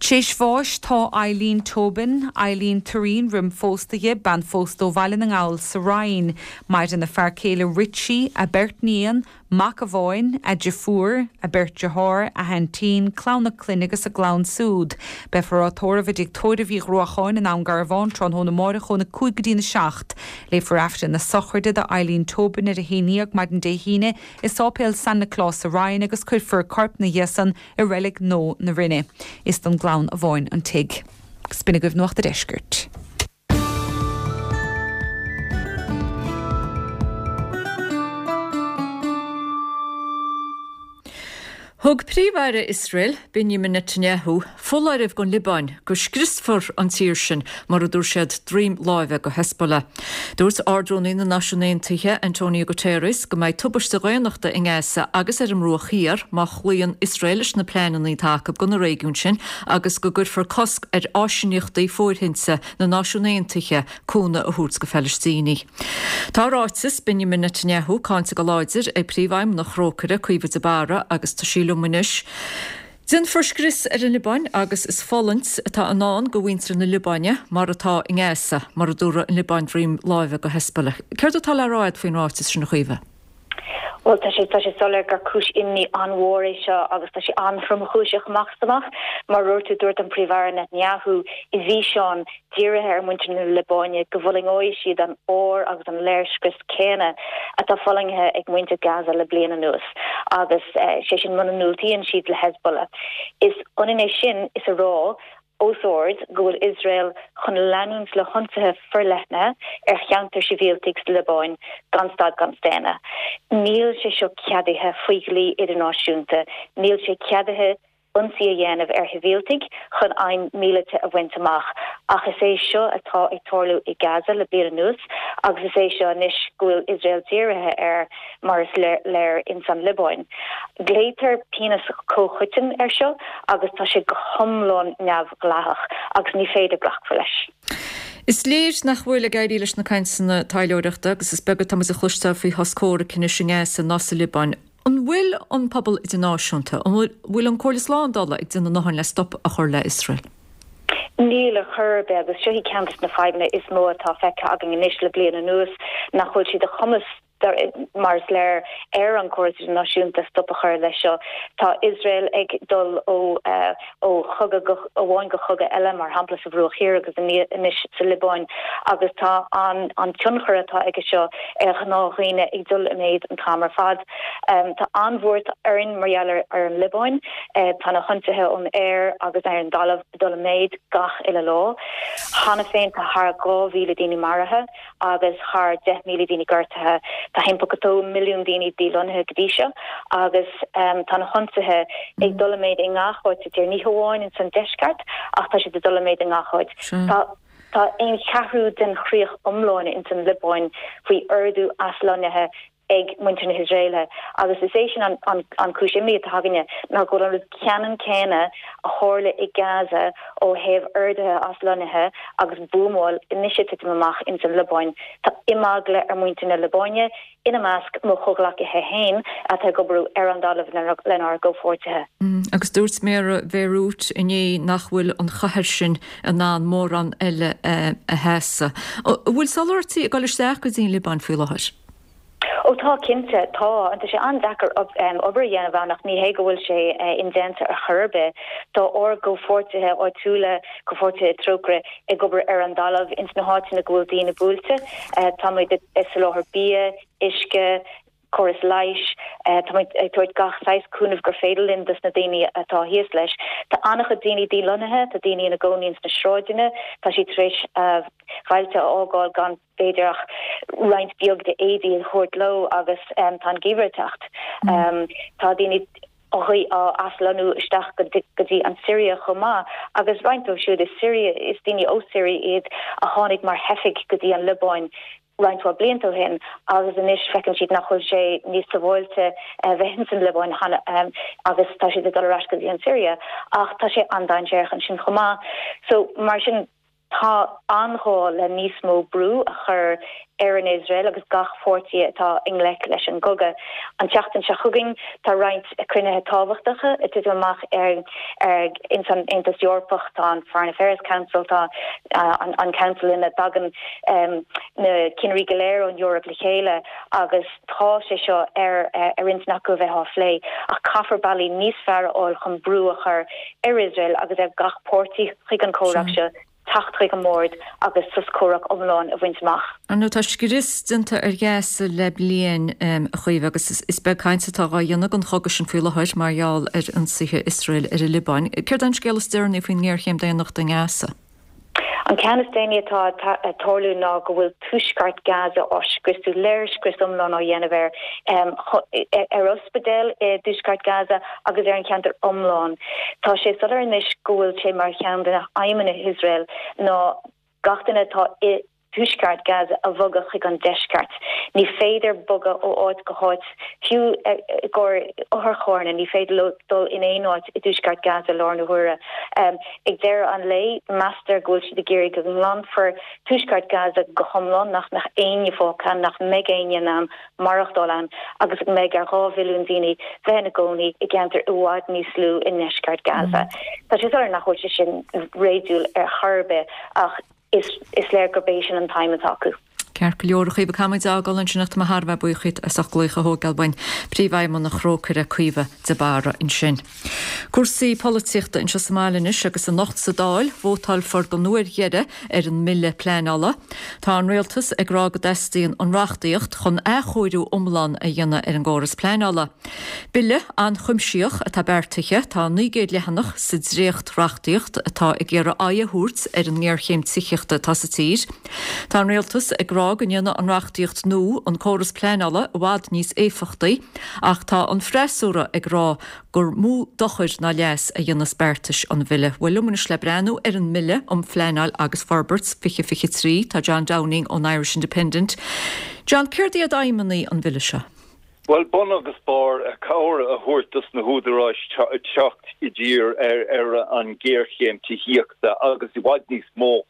Tréis bháis tá Eileen Tobin, Eileen Turín roim phósta di, bean phósta ó Bhaile na nGall sa Rinn, maireann a fear céile Richie, a beirt níon, mac amháin, a deirfiúr, a beirt dearthár, a haintín, clann a clainne agus a gclann siúd. Beifear á tórramh i dTigh Tórraimh Uí Ghruacháin in Abhainn Garbhán tráthnóna amárach óna cúig go dtí na seacht. Léifear Aifreann na sochraide d'Eileen Tobin ar a haon déag maidin Dé hAoine i Sáipéal San Nioclás sa Rinn agus cuirfear corp ina dhiaidh san i reilig nua na Rinne. Is don gclann amháin an tigh. Agus b'in agaibh Nuacht a' Deiscirt. Thug Príomh-Aire Iosrael, Benjamin Netanyahu, foláireamh don Liobáin go scriosfar an tír sin mar a dúirt siad droim láimhe go Hezbollah. Dúirt Ard-Rúnaí na Náisiún Aontaithe, Antonio Guterres, go mbeidh tubaiste dhaonnachta i nGaza agus ar an mBruach Thiar má chloíonn Iosrael leis na pleananna atá acu don réigiún sin agus go gcuirfear cosc ar áisíneachtaí fóirithinte na Náisiún Aontaithe cúnamh a thabhairt go Phalaistínigh. Tá ráiteas Benjamin Netanyahu cáinte go láidir ag Príomhfheidhmeannach Thrócaire, Caoimhe de Barra, agus tá sí liom anois. Déanfar scrios ar an Liobáin agus is fulaingt atá i ndán go mhuintir na Liobáine mar atá i nGaza, mar a dúradh an Liobáin droim láimhe go Hezbollah. Céard atá le rá agat faoin ráiteas sin a Chaoimhe? Bhuel, tá sé tá sé soiléir gur cúis imní an-mhór é seo agus tá sé an-thromchúiseach amach is amach. Mar a dúirt tú, dúirt an Príomh-Aire Netanyahu i bhfíseán dírithe ar mhuintir na Liobáine go bhfulaingeoidh siad an ár agus an léirscrios céanna atá fulaingthe ag muintir Gaza le bliain anuas agus sé sin muna ndiúltaíonn siad le Hezbollah. Is ionann é sin is a rá os ard go bhfuil Iosrael chun leanúint le hionsaithe forleithne ar cheantair sibhialtaigh sa Liobáin gan stad gan staonadh. Níl sé seo ceadaithe faoi dhlí idirnáisiúnta. Níl sé ceadaithe ionsaí a dhéanamh ar shibhialtaigh chun aidhm míleata a bhaint amach. Ach is é seo atá ag tarlú i Gaza le bliain anuas agus is é seo anois go bhfuil Iosrael dírithe air mar is léir ins an Liobáin. Glaotar pionós comhchoiteann air seo agus tá sé go hiomlán neamhdhleathach agus ní féidir glacadh leis. Is léir nach bhfuil ag éirí leis na cainteanna taidhleoireachta agus is beag atá muid a chloisteáil faoi shos comhraic anois i nGaza ná sa Liobáin. An bhfuil an pobal idirnáisiúnta, an bhfuil an Chomhairle Slándála ag déanamh a ndóthain le stop a chur le Iosrael? Níl ar chor ar bith agus seo í ceann de na fadhbanna is mó atá feicthe againn anois le bliain anuas nach bhfuil sé de chumas mar is léir ar an gcóras idirnáisiúnta stop a chur leis seo. Tá Iosrael ag dul ó ó chogadh amháin go cogadh eile, mar shampla sa Bhruach Thiar agus anois sa Liobáin, agus tá an an tionchar atá aige seo ar ghnáthdhaoine ag dul i méid an t-am ar fad. Tá an-bhuairt orainn mar gheall ar an Liobáin. Tá na hionsaithe ón aer agus ar an dtalamh ag dul i méid gach uile lá. Cheana féin tá thar dhá mhíle daoine maraithe agus thar deich míle daoine gortaithe. Tá timpeall go dó milliún daoine dílonnaithe go dtí seo agus tá na hionsaithe ag dul i méid i ngach áit sa tír, ní hamháin ins an deisceart ach tá siad ag dul i méid i ngach áit. Tá tá aon cheathrú den chríoch iomlán ins an Liobáin faoi ordú aslonnaithe ag muintir na hIosraeile agus is é sin an an an cúis imní atá againne ná go bhfuil an rud ceannann céanna a tharla i Gaza ó thaobh orduithe aslonnaithe agus buamáil anois ag titim amach ins an Liobáin. Tá imeagla ar mhuintir na Liobáine, ina measc mo chomhghleacaithe féin atá ag obair ar an dtalamh lenár gcomhpháirtithe. Agus dúirt méara Bhéiriút inné nach bhfuil an chathair sin in ann mórán eile a sheasamh. An bhfuil soláthairtí ag dul isteach go dtí an Liobáin faoi láthair? Ó tá, cinnte, tá. Tá sé an-deacair obair a dhéanamh ann ach ní hé go bhfuil sé indéanta ar chor ar bith. Tá ár gcomhpháirtithe áitiúla, comhpháirtithe Trócaire, ag obair ar an dtalamh ins na háiteanna go bhfuil daoine buailte. Táimid ag soláthar bia, uisce, córas leighis. Táimid ag tabhairt gach saghas cúnaimh gur féidir linn dos na daoine atá thíos leis. Tá an-chuid daoine dílonnaithe, tá daoine ina gcónaí ins na sráideanna, tá siad tar éis a mbailte a fhágáil gan b'fhéidir ach roinnt beag de éadaí a thabhairt leo agus tá an geimhreadh ag teacht. Tá daoine á aslonnú isteach go dtí an Siria chomh maith agus roinnt dóibh siúd i Siria, is daoine ó Siria iad a tháinig mar theifigh go dtí an Liobáin roinnt mhaith blianta ó shin agus anois feiceann siad nach bhfuil sé níos sábháilte a bheith ins an Liobáin agus tá siad ag dul ar ais go dtí an Siria ach tá sé an-dainséarach ansin chomh maith. So mar sin tá an-ghá le níos mó brú a chur ar an Iosrael agus gach páirtí atá i ngleic leis an gcogadh. An tseachtain seo chugainn tá roinnt cruinnithe tábhachtacha ag titim amach ar ar ins an Aontas Eorpach, tá an Foreign Affairs Council, tá an an Council ina dtagann na cinnirí go léir ón Eoraip le chéile agus tá sé seo ar ar intinn acu a bheith á phlé ach caithfear bealaí níos fearr a fháil chun brú a chur ar Iosrael agus ar gach páirtí chuig an chomhrac seo teacht chuig an mbord agus sos comhraic iomlán a bhaint amach. Ar ndóigh, tá scrios déanta ar Ghaza le bliain, a Chaoimhe, agus is beag caint atá á dhéanamh den chogadh sin faoi láthair mar gheall ar ionsaithe Iosrael ar an Liobáin. Céard é an scéal is deireanaí faoin ngéarchéim daonnachta i nGaza? An ceann is déanaí atá ag tarlú ná go bhfuil tuaisceart Gaza á scriosadh, léirscrios iomlán á dhéanamh air, ar ospidéal i dtuaisceart Gaza agus ar an cheantar iomlán. Tá sé soiléir anois go bhfuil sé mar cheann de na haidhmeanna Iosrael ná gach duine atá i dtuaisceart Gaza a bhogadh chuig an deisceart. Ní féidir bogadh ó áit go háit, fiú i gcomhair otharcharranna, ní féidir leo dul in aon áit i dtuaisceart Gaza i láthair na huaire. Ag deireadh an lae, meastar go bhfuil siad ag iarraidh go nglanfar tuaisceart Gaza go hiomlán, nach mbeadh éinne fágtha ann, nach mbeidh éinne in ann maireachtáil ann agus go mbeidh ar dhá mhilliún daoine bheith ina gcónaí i gceantar i bhfad níos lú i ndeisceart Gaza. Tá sé soiléir nach bhfuil sé sin réadúil ar chor ar bith ach is léir gurb é sin an t-aidhm atá acu. Ceart go leor a Chaoimhe, caithfimid é a fhágáil ansin ach tá mé thar a bheith buíoch díot as ucht glaoch a thógáil uainn. Príomhfheidhmeannach Thrócaire, Caoimhe de Barra ansin. Cúrsaí polaitíochta anseo sa mbaile anois agus anocht sa Dáil, vótálfar don uair dheiridh ar an mBille Pleanála. Tá an Rialtas ag rá go dteastaíonn an reachtaíocht chun athchóiriú iomlán a dhéanamh ar an gcóras pleanála. Bille an-chuimsitheach atá beartaithe, tá naoi gcéad leathanach sa dréacht-reachtaíocht atá ag iarraidh aghaidh a thabhairt ar an ngéarchéim tithíochta atá sa tír. Tá an Rialtas ag rá go ndéanfaidh an reachtaíocht nua an córas pleanála i bhfad níos éifeachtaí ach tá an freasúra ag rá gur mó dochar ná leas a dhéanfas beartais an bhille. Bhuel liom anois le breathnú ar an mBille um Phleanáil agus Forbairt fiche fiche trí tá John Downing ón Irish Independent. John, céard iad aidhmeanna an bhille seo? Bhuel, bun agus barr, cabhair a thabhairt dos na húdaráis teacht i dtír ar an ghéarchéim tithíochta agus i bhfad níos mó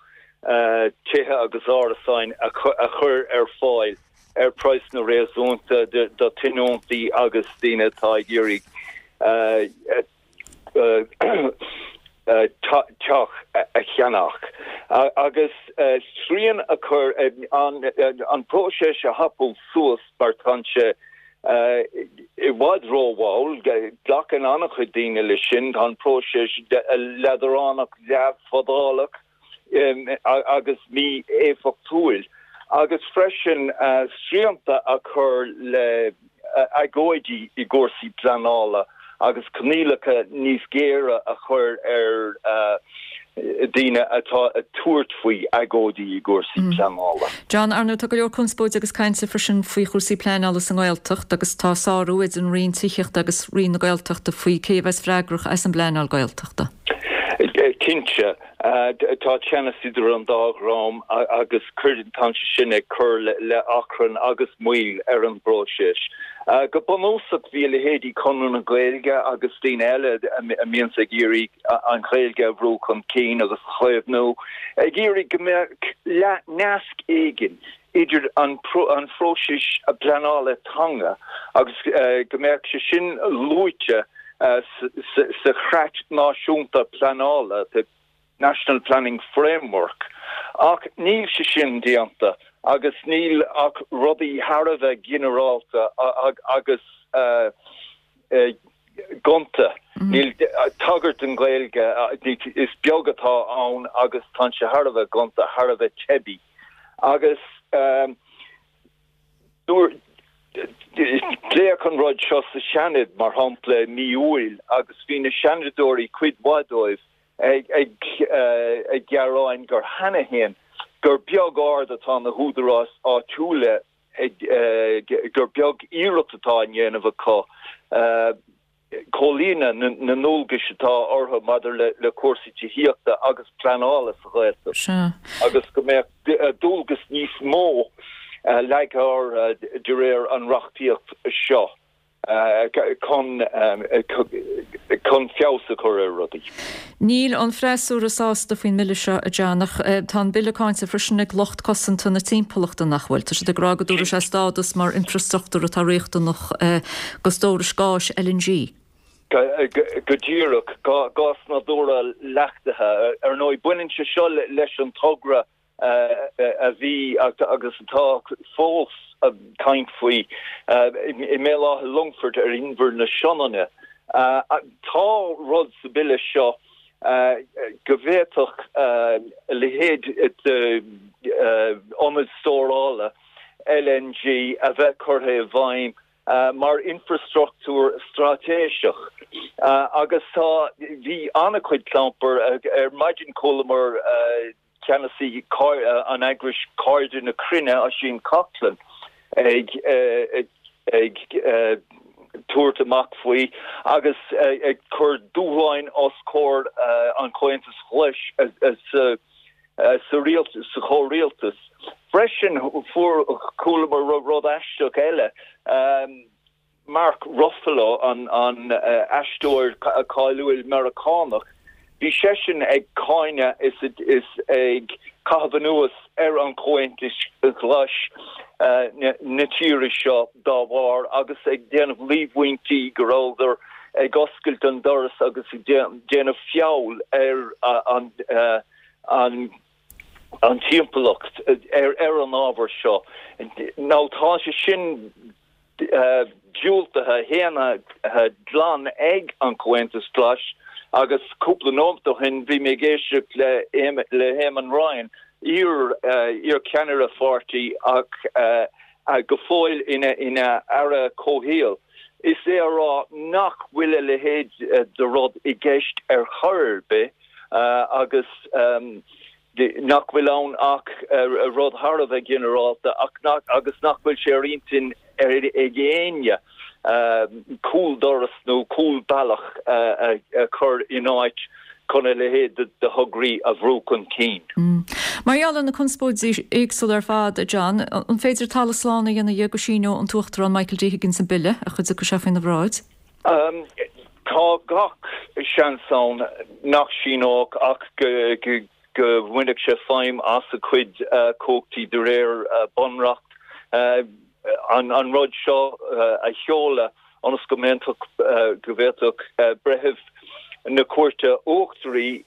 tithe agus árasáin a chur ar fáil ar praghsanna réasúnta do tionóntaí agus daoine atá ag iarraidh teach a cheannach. Agus srian a chur an próiseas a thapú suas mar tá sé i bhfad rómhall, glacann an-chuid daoine leis sin, tá an próiseas leadránach leathfhadálach agus mí-éifeachtúil, agus freisin srianta a chur le agóidí i gcúrsaí pleanála agus coinníollacha níos géire a chur ar daoine atá ag tabhairt faoi agóidí i gcúrsaí pleanála. John, ar ndóigh tá go leor conspóide agus cainte freisin faoi chúrsaí pleanála sa nGaeltacht agus tá sárú idir an Roinn Tithíochta agus Roinn na Gaeltachta faoi cé a bheas freagrach as an bpleanáil Gaeltachta. Cinnte, tá teannas idir an dá dhream agus cuireann tá sé sin ag cur le achrann agus moill ar an bpróiseas. Go bunúsach bhí a leithéidí Conradh na Gaeilge agus daoine eile a mbíonns ag iarraidh an Ghaeilge a bhrú chun cinn agus a chaomhnú, ag iarraidh go mbeadh nasc éigin idir an phróiseas pleanála teanga agus go mbeadh sé sin luaite sa Chreat Náisiúnta Pleanála, the National Planning Framework, ach níl sé sin déanta agus níl ach rudaí thar a bheith ginearálta agus gonta. Níl tagairt don Ghaeilge, is beag atá ann agus tá sé thar a bheith gonta, thar a bheith teibí. Agus Pléadh an rud seo sa Seanad, mar shampla, i mí Iúil agus bhí na Seanadóirí, cuid mhaith dóibh, ag gearáin gur cheana féin gur beag aird atá na húdaráis áitiúla ag, gur beag iarracht atá á ndéanamh acu comhlíonadh na ndualgais atá orthu maidir le cúrsaí tithíochta agus pleanála sa Ghaeltacht agus go mbeadh dualgas níos mó leagtha orthu de réir an reachtaíocht seo chun chun feabhas a chur ar rudaí. Níl an freasúra sásta faoin mbille seo, a John, ach tá an bille cáinte freisin ag lucht cosanta na timpeallachta, nach bhfuil? Tá siad ag rá go dtabharfaidh sé stádas mar infreastruchtúr atá riachtanach do stórais gáis L N G. Go díreach, gás nádúrtha leachtaithe. Ar ndóigh, baineann sé seo leis an togra a bhí agus atá fós caint faoi i mBéal Átha Longfoirt ar Inbhear na Sionainne. Tá rud sa bille seo go bhféadfadh a leithéid d'ionad stórála L N G a bheith curtha i bhfeidhm mar infreastruchtúr straitéiseach agus tá bhí an-chuid clampair ar maidin. Chualamar ceannasaí an eagrais Cairde na Cruinne, Oisín Coghlan, ag ag tabhairt amach faoi agus ag cur dúshláin os comhair an Chomhaontais Ghlais sa sa rialtas, sa chomhrialtas. Freisin fuair chualamar rud aisteach eile. Mark Ruffalo, an an aisteoir cáiliúil Meiriceánach, bhí seisean ag cáineadh is is ag caitheamh anuas ar an Chomhaontas Ghlais na tíre seo dá bharr agus ag déanamh líomhaintí go rabhadar ag oscailt an doras agus ag déanamh feall ar an an an timpeallacht ar ar an ábhar seo. Now tá sé sin diúltaithe shéanta glan ag an Comhaontas Glas agus cúpla nóiméad ó shin bhí mé ag éisteacht le le Eamon Ryan iar iar ceannaire pháirtí ach go fóill ina ina aire comhshaoil. Is é a rá nach bhfuil a leithéid de rud i gceist ar chor ar bith agus nach bhfuil ann ach rud thar a bheith ginearálta ach nach agus nach bhfuil sé ar intinn ar ag éinne cúldoras nó cúlbealach a chur in áit chun a leithéid de thograí a bhrú chun cinn. Mar gheall ar na conspóidí éagsúla ar fad, a John, an féidir talamh slán a dhéanamh dhe go síneoidh an tUachtarán Michael D Higgins an bille a chuid acu seo faoina bhráid? Tá gach seans ann nach síneodh ach go go bhfuil sé feidhm as a chuid cumhachtaí de réir bunreacht an an rud seo a sheoladh ionas go mbeadh go bhféadfadh breitheamh na cúirte uachtaraí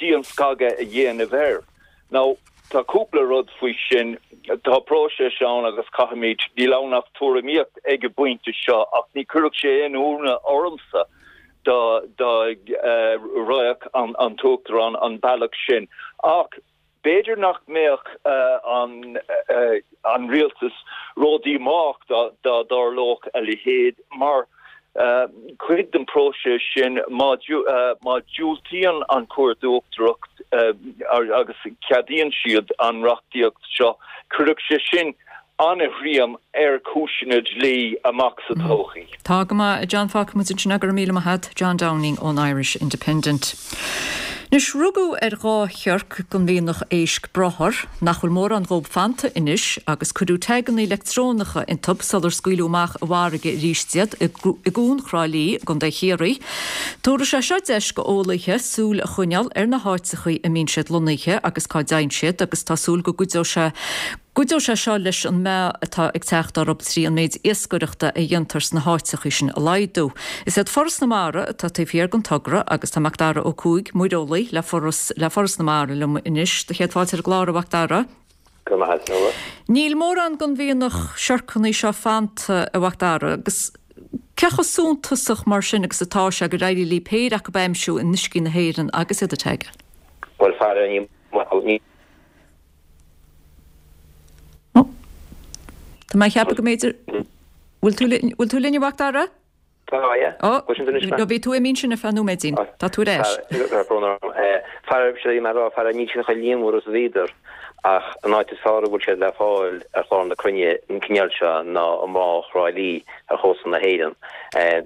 dianscagadh a dhéanamh air. Now tá cúpla rud faoi sin tá próiseas ann agus caithfimid níl ann ach tuairimíocht ag an bpointe seo ach ní chuirfeadh sé aon ionadh ormsa dá dá raghadh an an tUachtarán an bealach sin. Ach b'fhéidir nach mbeadh an an rialtas ródhíomách dá dá dtarlódh a leithéid mar cuid den próiseas sin má má diúltaíonn an Chúirt Uachtarach agus ceadaíonn siad an reachtaíocht seo, cuirfidh sé sin an-ghreim ar chúiseanna dlí amach sa todhchaí. Tá go maith, John fágfaidh muid ansin go raibh míle maith agat, John Downing ón Irish Independent. Anois rugadh ar dhá shiorc den mhianach éisc brothair, nach bhfuil mórán dhóib fanta anois, agus cuireadh taganna leictreonacha iontub sular scaoileadh amach i bhfarraige arís iad i gCuan Thrá Lí i gContae Chiarraí. Tabharfaidh sé seo deis go eolaithe súil a choinneáil ar na háiteachaí a mbíonn siad lonnaithe agus cá dtéann siad agus tá súil go gcuideoidh sé gcuideoidh sé seo leis an meath atá ag teacht orthu trí an méid iascaireachta a dhéantar sna háiteachaí sin a laghdú. Is iad Foras na Mara atá taobh thiar den togra agus tá Macdara Ó Cuaig, muireolaí le Foras le Foras na Mara liom anois. Do chéad fáilte ar an gclár a Mhacdara. Go maith Nuala. Níl mórán den mhianach siorcanna seo fanta a Mhacdara agus cé chomh suntasach mar sin agus atá sé gur éirigh libh péire acu a aimsiú in uiscí na hÉireann agus iad a tagáil. Bhuel fara ní ní Tá mé ag ceapadh go mb'fhéidir bhfuil tú bhfuil tú linn a Mhacdara? Tá yeah. Ó no bhí tú imithe ansin ar feadh nóiméidín. Tá tú ar ais. Fara sé mar rá fara níl siad chomh líonmhar is a bhíodar ach an áit is fearr a bhfuil siad le fáil ar chlár na cruinne an cineál seo ná i mBá Thrá Lí ar chósta na hÉireann.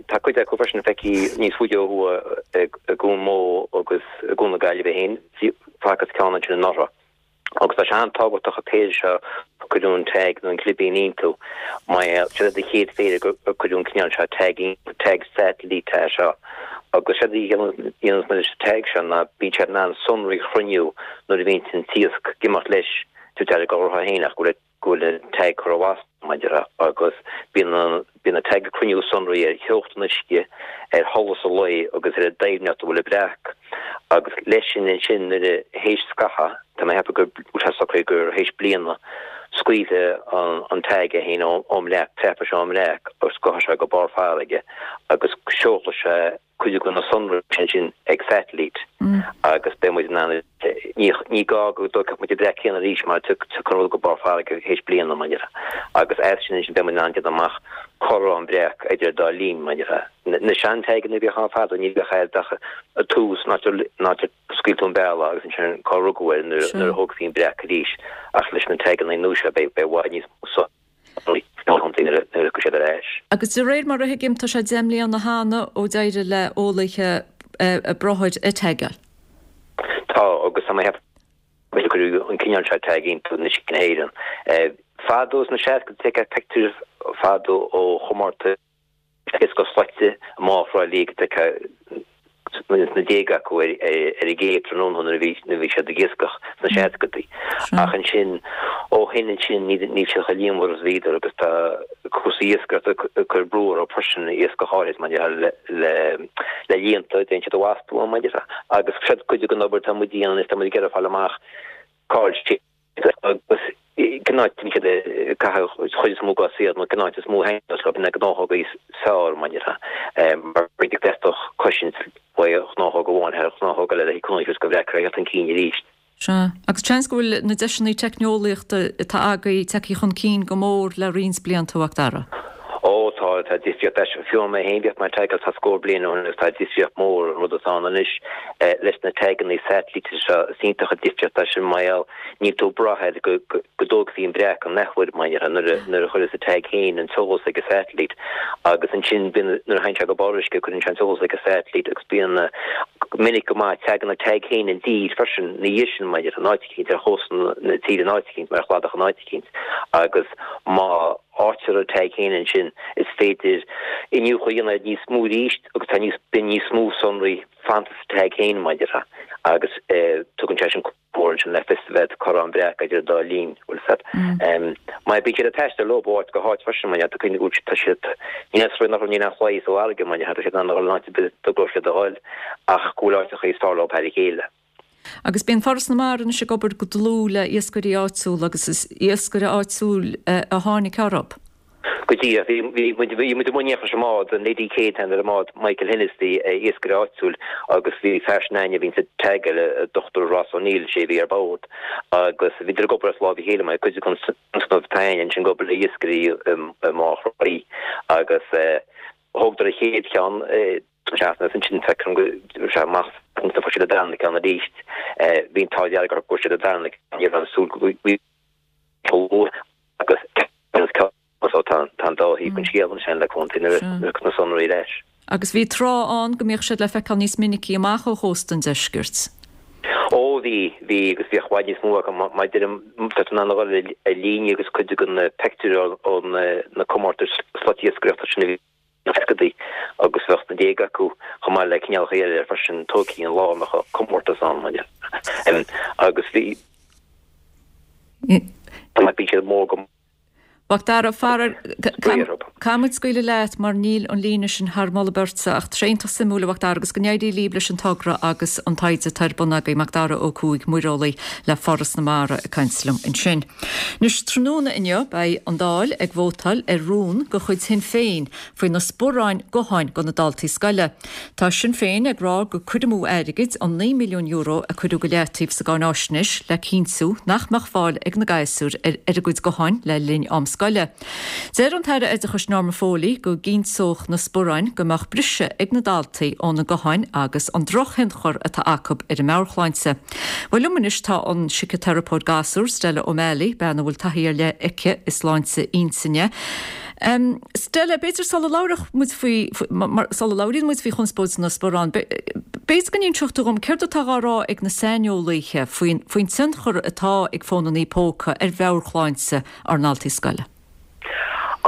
Tá cuid acu freisin feicthe níos faide ó thuaidh i gCuan Mó agus i gCuan na Gaillimhe féin. Facthas ceann ansin anuraidh. Agus tá sé an-tábhachtach an péire seo a cuireadh an tag nó an clibín iontu. Mar seo iad an chéad phéire gur cuireadh an cineál seo tag iontu, tag satailíte é seo. Agus séard a dhéananns muid leis an tag seo ná bíonn siad in ann sonraí a chruinniú nuair a bhíonn an t-iasc ag imeacht leis, tabhairt aire go orthu féin ach go bhfuil go bhfuil an tag curtha amach maidir agus bíonn an bíonn an tag ag cruinniú sonraí ar theocht an uisce, ar sholas an lae agus ar an doimhneacht a bhfuil an breac agus leis sin ansin nuair a théis scaitheamh, tá mé ag ceapadh go bhfuil sé socraithe gur théis bliana, scaoilfidh an an tag é féin ón mbreac, preabfaidh sé ón mbreac agus gabhfaidh sé go barr farraige agus seolfaidh sé cuid de na sonraí sin ag satailít agus beidh muid in ann, ní gá go dtógfadh muid an breac céanna arís mar tiocfaidh an rud go barr farraige théis bliana, mar a déarfá. Agus as sin ansin beidh muid in ann déanamh amach cá raibh an breac idir an dá linn, mar a déarfá. Na sean-taganna a bhíodh ann fadó ní bheadh air ach an tús, an áit ar scaoil tú an bealach agus ansin cá rugadh air nuair a thógfaí an breac arís ach leis na taganna nua seo beidh i bhfad níos mó nuair a thiocfaidh siad ar ais. Agus de réir mar a thuigim, tá sé deich mbliana cheana ó d'éirigh le eolaithe brothair a tagáil. Tá, agus tá mé ag ceapadh gur cuireadh an cineál seo tag iontu in uiscí na hÉireann. Fadó sna seascaidí, tá pictiúir fadó ó chomórtais iascach slaite i mBá Thrá Lí go dtiocfadh na déaga acu ar an gcé tráthnóna nuair a bhí nuair a bhí siad ag iascach sna seascadaí. Ach ansin ó shin ansin níl níl siad chomh líonmhar is a bhíodar agus tá cúrsaí iascaireachta ag cur brú orthu freisin iascach áirid maidir le le le líonta déanann siad a bhastú maidir agus siad cuid den obair atá muid a dhéanamh is tá muid ag iarraidh fáil amach Cá bhfuil siad agus cén áit a mbíonn siad ag caitheamh an chuid is mó dá saol nó cén áit is mó a thaitneos leo na gnáthóga is fearr mar a déarfá mar d'fhéadfadh cosaint uaidh ghnáthóg amháin thar ghnáthóg eile le cúnamh go bhfreagra a theacht chun cinn arís. Sea, agus seans go bhfuil na deiseanna teicneolaíochta atá agaibh tagtha chun cinn go mór le roinnt blianta, a Mhac Dara. Ó tá, tá difríocht leis. Fiú mé féin bhíodh mé ag tagáil tá scór bliain ó shin agus tá difríocht mór an rud atá ann anois leis na taganna satailíte seo. Is iontach an difríocht é sin mar gheall níl tú ag brath air go go dtógfaí an breac an athuair mar a déarfá nuair a nuair a chuireas an tag féin an t-eolas ag an satailít agus ansin bíonn nuair a théann sé go barr uisce cuireann sé an t-eolas ag an satailít agus bíonn minic go maith tagann an tag féin i dtír freisin ina dhiaidh sin mar a déarfá in áit eicínt ar chósta na tíre in áit eicínt mar chladach in áit eicínt agus má fhaightear an tag féin ansin is féidir iniúchadh a dhéanamh air níos mó arís agus tá níos bíonn níos mó sonraí fanta sa tag féin mar a déarfá agus tugann sé sin comhairle ansin le fios a bheith cá raibh an breac idir an dá linn, bhfuil fhios a'd. Mar bíonn siad ag taisteal leo ó áit go háit freisin mar tá cuimhne go bhfuil tá siad ní is nach níl aon chlaí sa bhfarraige mar tá siad in ann a dhul in áit ar bith dá gcuirfear siad a dhul ach go bhfuil áiteacha is fearr leo thar a chéile. Agus bíonn Foras na Mara anois ag obair go dlúth le iascairí áitiúla agus is iascaire áitiúil a tháinig orthu. Go díreach. Bhí bhí muid bhí muid i mbun leis an mbád, an Lady Kate an ar an mbád, Michael Hennessy, iascaire áitiúil agus bhí fear sin againne a bhíonns ag tagáil, Dochtúir Ross O'Neill, sé a bhí ar bord agus bhíodar ag obair as lámh a chéile mar cuid den tionscnamh atá againn ansin ag obair le iascairí i mBá Thrá Lí agus thógadar an chéad cheann seachtain agus ansin feicim go raibh sé amach ansin fuair siad an darna ceann arís. Bhí an t-ádh dearg orthu go bhfuair siad an darna ceann, ní raibh an súil go bhfuil chomh luath agus ceann so tá an dá thaobh den scéal ansin le contae na na sonraí leis. Agus bhí tráth ann go mbíodh siad le feiceáil níos minicí amach ó chósta an deiscirt. Ó bhí, bhí agus bhíodh i bhfad níos mó acu mar deirim tá tú in ann a dhul ar líne agus cuid de na pictiúir ó na comórtais slatiascaireachta sin a bhí sna seascadaí agus bheadh na déaga acu chomh maith le cineálacha eile freisin tógtha an lá a mbeadh comórtas ann mar dhea. Agus bhí bhí siad mór go Mhac Dara, faraor, caithfidh muid scaoileadh leat mar níl an líne sin thar moladh beirte ach tá sé iontach suimiúil a Mhac Dara agus go n-éirí libh leis an togra agus an taighde atá ar bun agaibh, Mac Dara Ó Cuaig, muireolaí le Foras na Mara ag caint liom ansin. Anois tráthnóna inniu beidh an Dáil ag vótáil ar rún de chuid Shinn Féin faoi na spuráin gutháin do na daltaí scoile. Tá Sinn Féin ag rá gur cur amú airgid an naoi milliún euro a cuireadh go leataobh sa gcáináisnéis le cinntiú nach mbeadh fáil ag na gasúir ar a gcuid gutháin le linn am scoile. Deir an tAire Oideachais Norma Foley go gcinnteodh na spuráin go mbeadh briseadh ag na daltaí óna ngutháin agus an drochthionchar atá acu ar a meabhairshláinte. Bhuel liom anois tá an síciteiripeoir gasúr Stella O'Malley, bean a bhfuil taithí ar leith aici i sláinte intinne. Um, Stella, b'fhéidir sula labhródh muid faoi sula labhraíonn muid faoi chonspóid na sparán, b'fhéidir go n-inseodh tú dhom céard atá á rá ag na saineolaithe faoin faoin tionchar atá ag fónanna póca ar mheabhairshláinte ár ndaltaí scoile.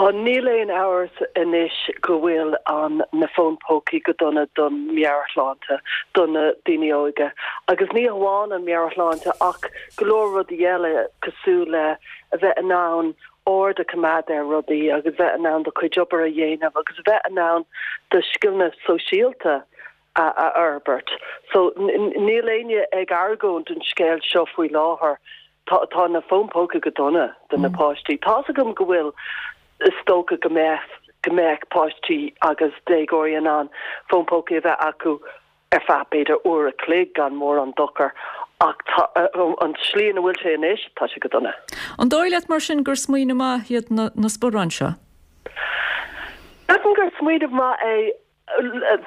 Á níl aon amhras anois go bhfuil an na fóin pócaí go dona don meabhairshláinte do na daoine óga. Agus ní amháin an meabhairshláinte ach go leor rudaí eile cosúil le a bheith in ann ord a choimeád ar rudaí agus bheith in ann do chuid obair a dhéanamh agus bheith in ann do scileanna sóisialta a a fhorbairt. So níl éinne ag argóint an scéal seo faoi láthair. Tá tá na fóin póca go dona do na páistí. Tá's agam go bhfuil is dócha go mbeadh go mbeadh páistí agus déagóirí in ann fón póca a bheith acu ar feadh b'fhéidir uair a chloig gan mórán dochar ach tá an tslí ina bhfuil sé anois tá sé go dona. An dóigh leat mar sin gur smaoineamh maith iad na, na spuráin seo? Ceapaim gur smaoineamh maith é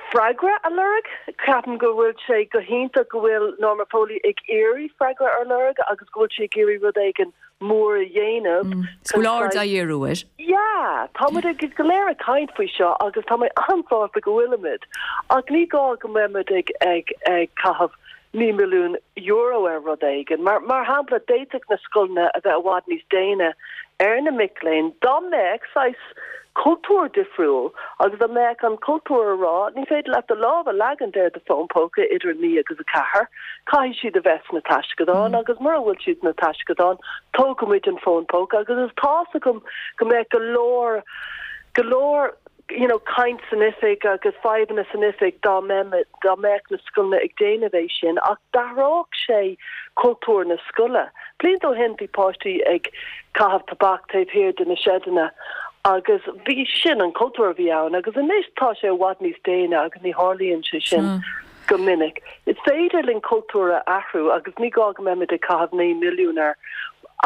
freagra a lorg. Ceapaim go bhfuil sé go hiontach go bhfuil Norma Foley ag iarraidh freagra a lorg agus go bhfuil sí ag iarraidh rud éigin mór a dhéanamh. Go bhfuil aird á dhíriú air. Yeah, tá muid ag go léir ag caint faoi seo agus tá mé an-sásta go bhfuilimid. Ach ní gá go mbeimid ag ag ag caitheamh naoi milliún euro ar rud éigin. Mar mar shampla d'fhéadfadh na scoileanna a bheith i bhfad níos déine ar na mic léinn dá mbeadh saghas cultúr difriúil agus dá mbeadh an cultúr a rá ní féidir leat do lámh a leagaint ar do fón póca idir naoi agus a ceathair, caithfidh siad a bheith sna taisceadáin agus mura bhfuil siad sna taisceadáin tógfaimid an fón póca agus is tá's agam go mbeadh go leor go leor you know, caint san oifig agus fadhbanna san oifig dá dá mbeadh na scoileanna ag déanamh é sin ach d'athródh sé cultúr na scoile. Blianta ó shin bhí páistí ag caitheamh tobac taobh thiar de na seideanna agus bhí sin an cultúr a bhí ann agus anois tá sé i bhfad níos déine agus ní tharlaíonn sé sin mm. go minic. Is féidir linn cultúr a athrú agus ní gá go mbeimid ag caitheamh naoi milliún air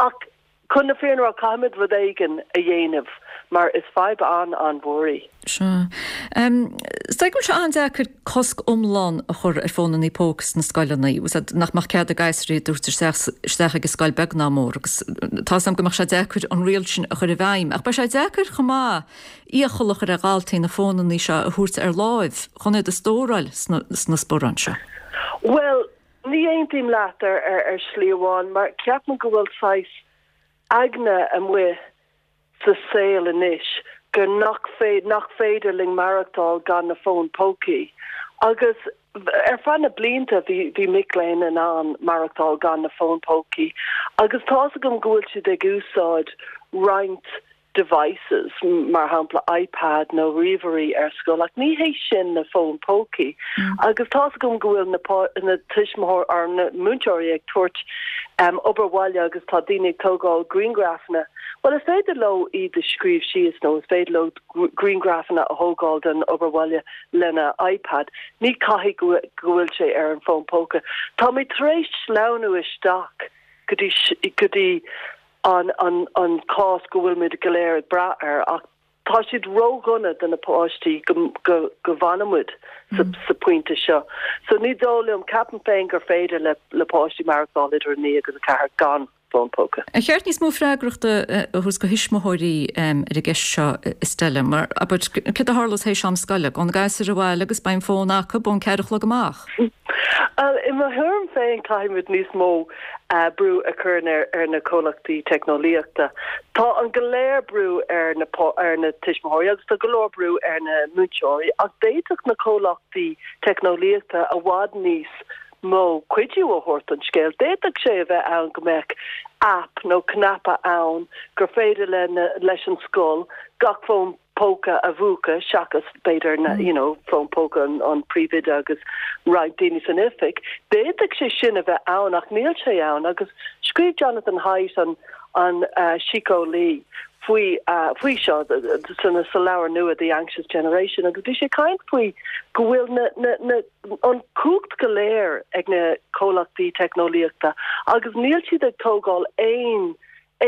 ach chun na fírinne a rá caithfimid rud éigin a dhéanamh mar is fadhb an-an-mhór í. Sea. Is dóigh go bhfuil sé an-deacair cosc iomlán a chur ar fónanna póca sna scoileanna, nach mbeadh cead ag gasúir iad a thabhairt isteach ag an scoil beag ná mór agus tá 's agam go mbeadh sé deacair an riail sin a chur i bhfeidhm. Ach beidh sé deacair chomh maith iachall a chur ar dhaltaí na fónanna seo a thabhairt ar láimh chun iad a stóráil sna sparáin seo. Bhuel, ní aontaím leat ar ar shlí amháin mar ceapaim go bhfuil saghas aigne amuigh sa saol anois gur nach féid nach féidir linn maireachtáil gan na fóin pócaí. Agus ar feadh na blianta bhí bhí mic léinn in ann maireachtáil gan na fóin pócaí, agus tá's agam go bhfuil siad ag úsáid roinnt devices, mar shampla iPad nó ríomhairí ar scoil, ach ní hé sin na fóin pócaí. Agus tá's agam go bhfuil na na tuismitheoirí or na múinteoirí ag tabhairt um, obair bhaile agus tá daoine ag tógáil grianghrafanna. Well is féidir leo iad a scríobh síos nó is féidir leo grianghrafanna a thógáil den obair bhaile lena iPad. Ní caithfidh go bhfuil sé ar an fón póca. Tá mé tar éis sleamhnú isteach go dtí go dtí an an an cás go bhfuil muid go léir ag brath air ach tá siad ródhona do na páistí go go go bhfanfaimid sa mm. sa pointe seo. So ní dóigh liom ceapaim féin gur féidir le le páistí maireachtáil idir a naoi agus a ceathair gan fón póca. Ar cheart níos mó freagrachta a thabhairt do thuismitheoirí ar an gceist seo Stella mar abair céard a tharlós théis am scoile gabhann na gasúir abhaile agus beidh an fón acu ón ceathair a chlog amach. I mo thuairim féin caithfimid níos mó brú a chur ar ar na comhlachtaí teicneolaíochta. Tá an go leor brú ar na ar na tuismitheoirí agus tá go leor brú ar na múinteoirí ach d'fhéadfadh na comhlachtaí teicneolaíochta i bhfad níos mó cuidiú a thabhairt don scéal. D'fhéadfadh sé a bheith ann go mbeadh app nó cnaipe ann gur féidir le na, leis an scoil gach fón póca a mhúchadh seachas b'fhéidir na you know fón póca an, an príomhoide agus roinnt daoine san oifig. D'fhéadfadh sé sin a bheith ann ach níl sé ann agus scríobh Jonathan Haidt an an uh, síceolaí faoi uh, faoi seo san sa leabhar nua The Anxious Generation agus bhí sé caint faoi go bhfuil na, na, na, an cumhacht go léir ag na comhlachtaí teicneolaíochta agus níl siad ag tógáil aon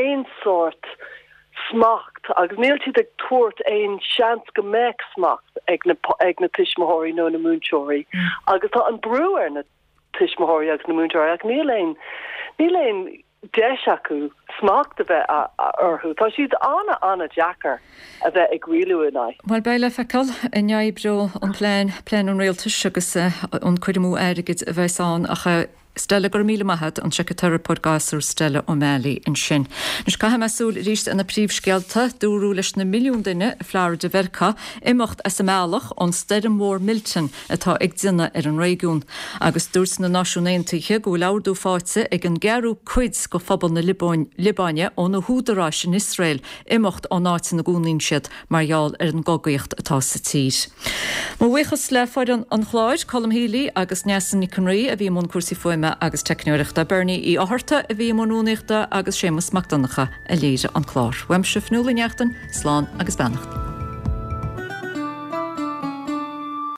aon sórt smacht agus níl siad ag tabhairt aon seans go mbeadh smacht ag na ag na tuismitheoirí nó na múinteoirí mm. agus tá an brú ar na tuismitheoirí agus na múinteoirí ach níl aon níl aon deis acu smacht a bheith orthu. Tá siad an- an-deacair a bheith ag rialú in aghaidh. Bhuel beidh le feiceáil an oibreoidh an plean plean an rialtais agus an cur amú airgid a bheas ann ach Stella go raibh míle maith agat, an síciteiripeoir gasúr Stella O'Malley ansin. Anois caithfidh mé súil arís ar na príomhscéalta, dúradh leis na milliún duine i Florida Mheiriceá imeacht as a mbealach ón stoirm mhór Milton atá ag déanamh ar an réigiún. Agus dúirt na Náisiúin Aontaithe go bhfuil ordú faighte ag an gceathrú cuid de phobal na Liobáine ó na húdaráis in Iosrael imeacht ón áit ina gcónaíonn siad mar gheall ar an gcogaíocht atá sa tír. Mo bhuíochas le foireann an chláir, Colm Healy agus Neasa Nic an Rí a bhí i mbun cúrsaí fuaime agus teicneoireachta, Bernie Uí Fhátharta a bhí i mbun rúnaíochta agus Séamus Mac Donncha a léirigh an clár. Uaimse Fionnuala Ní Neachtain, slán agus beannacht.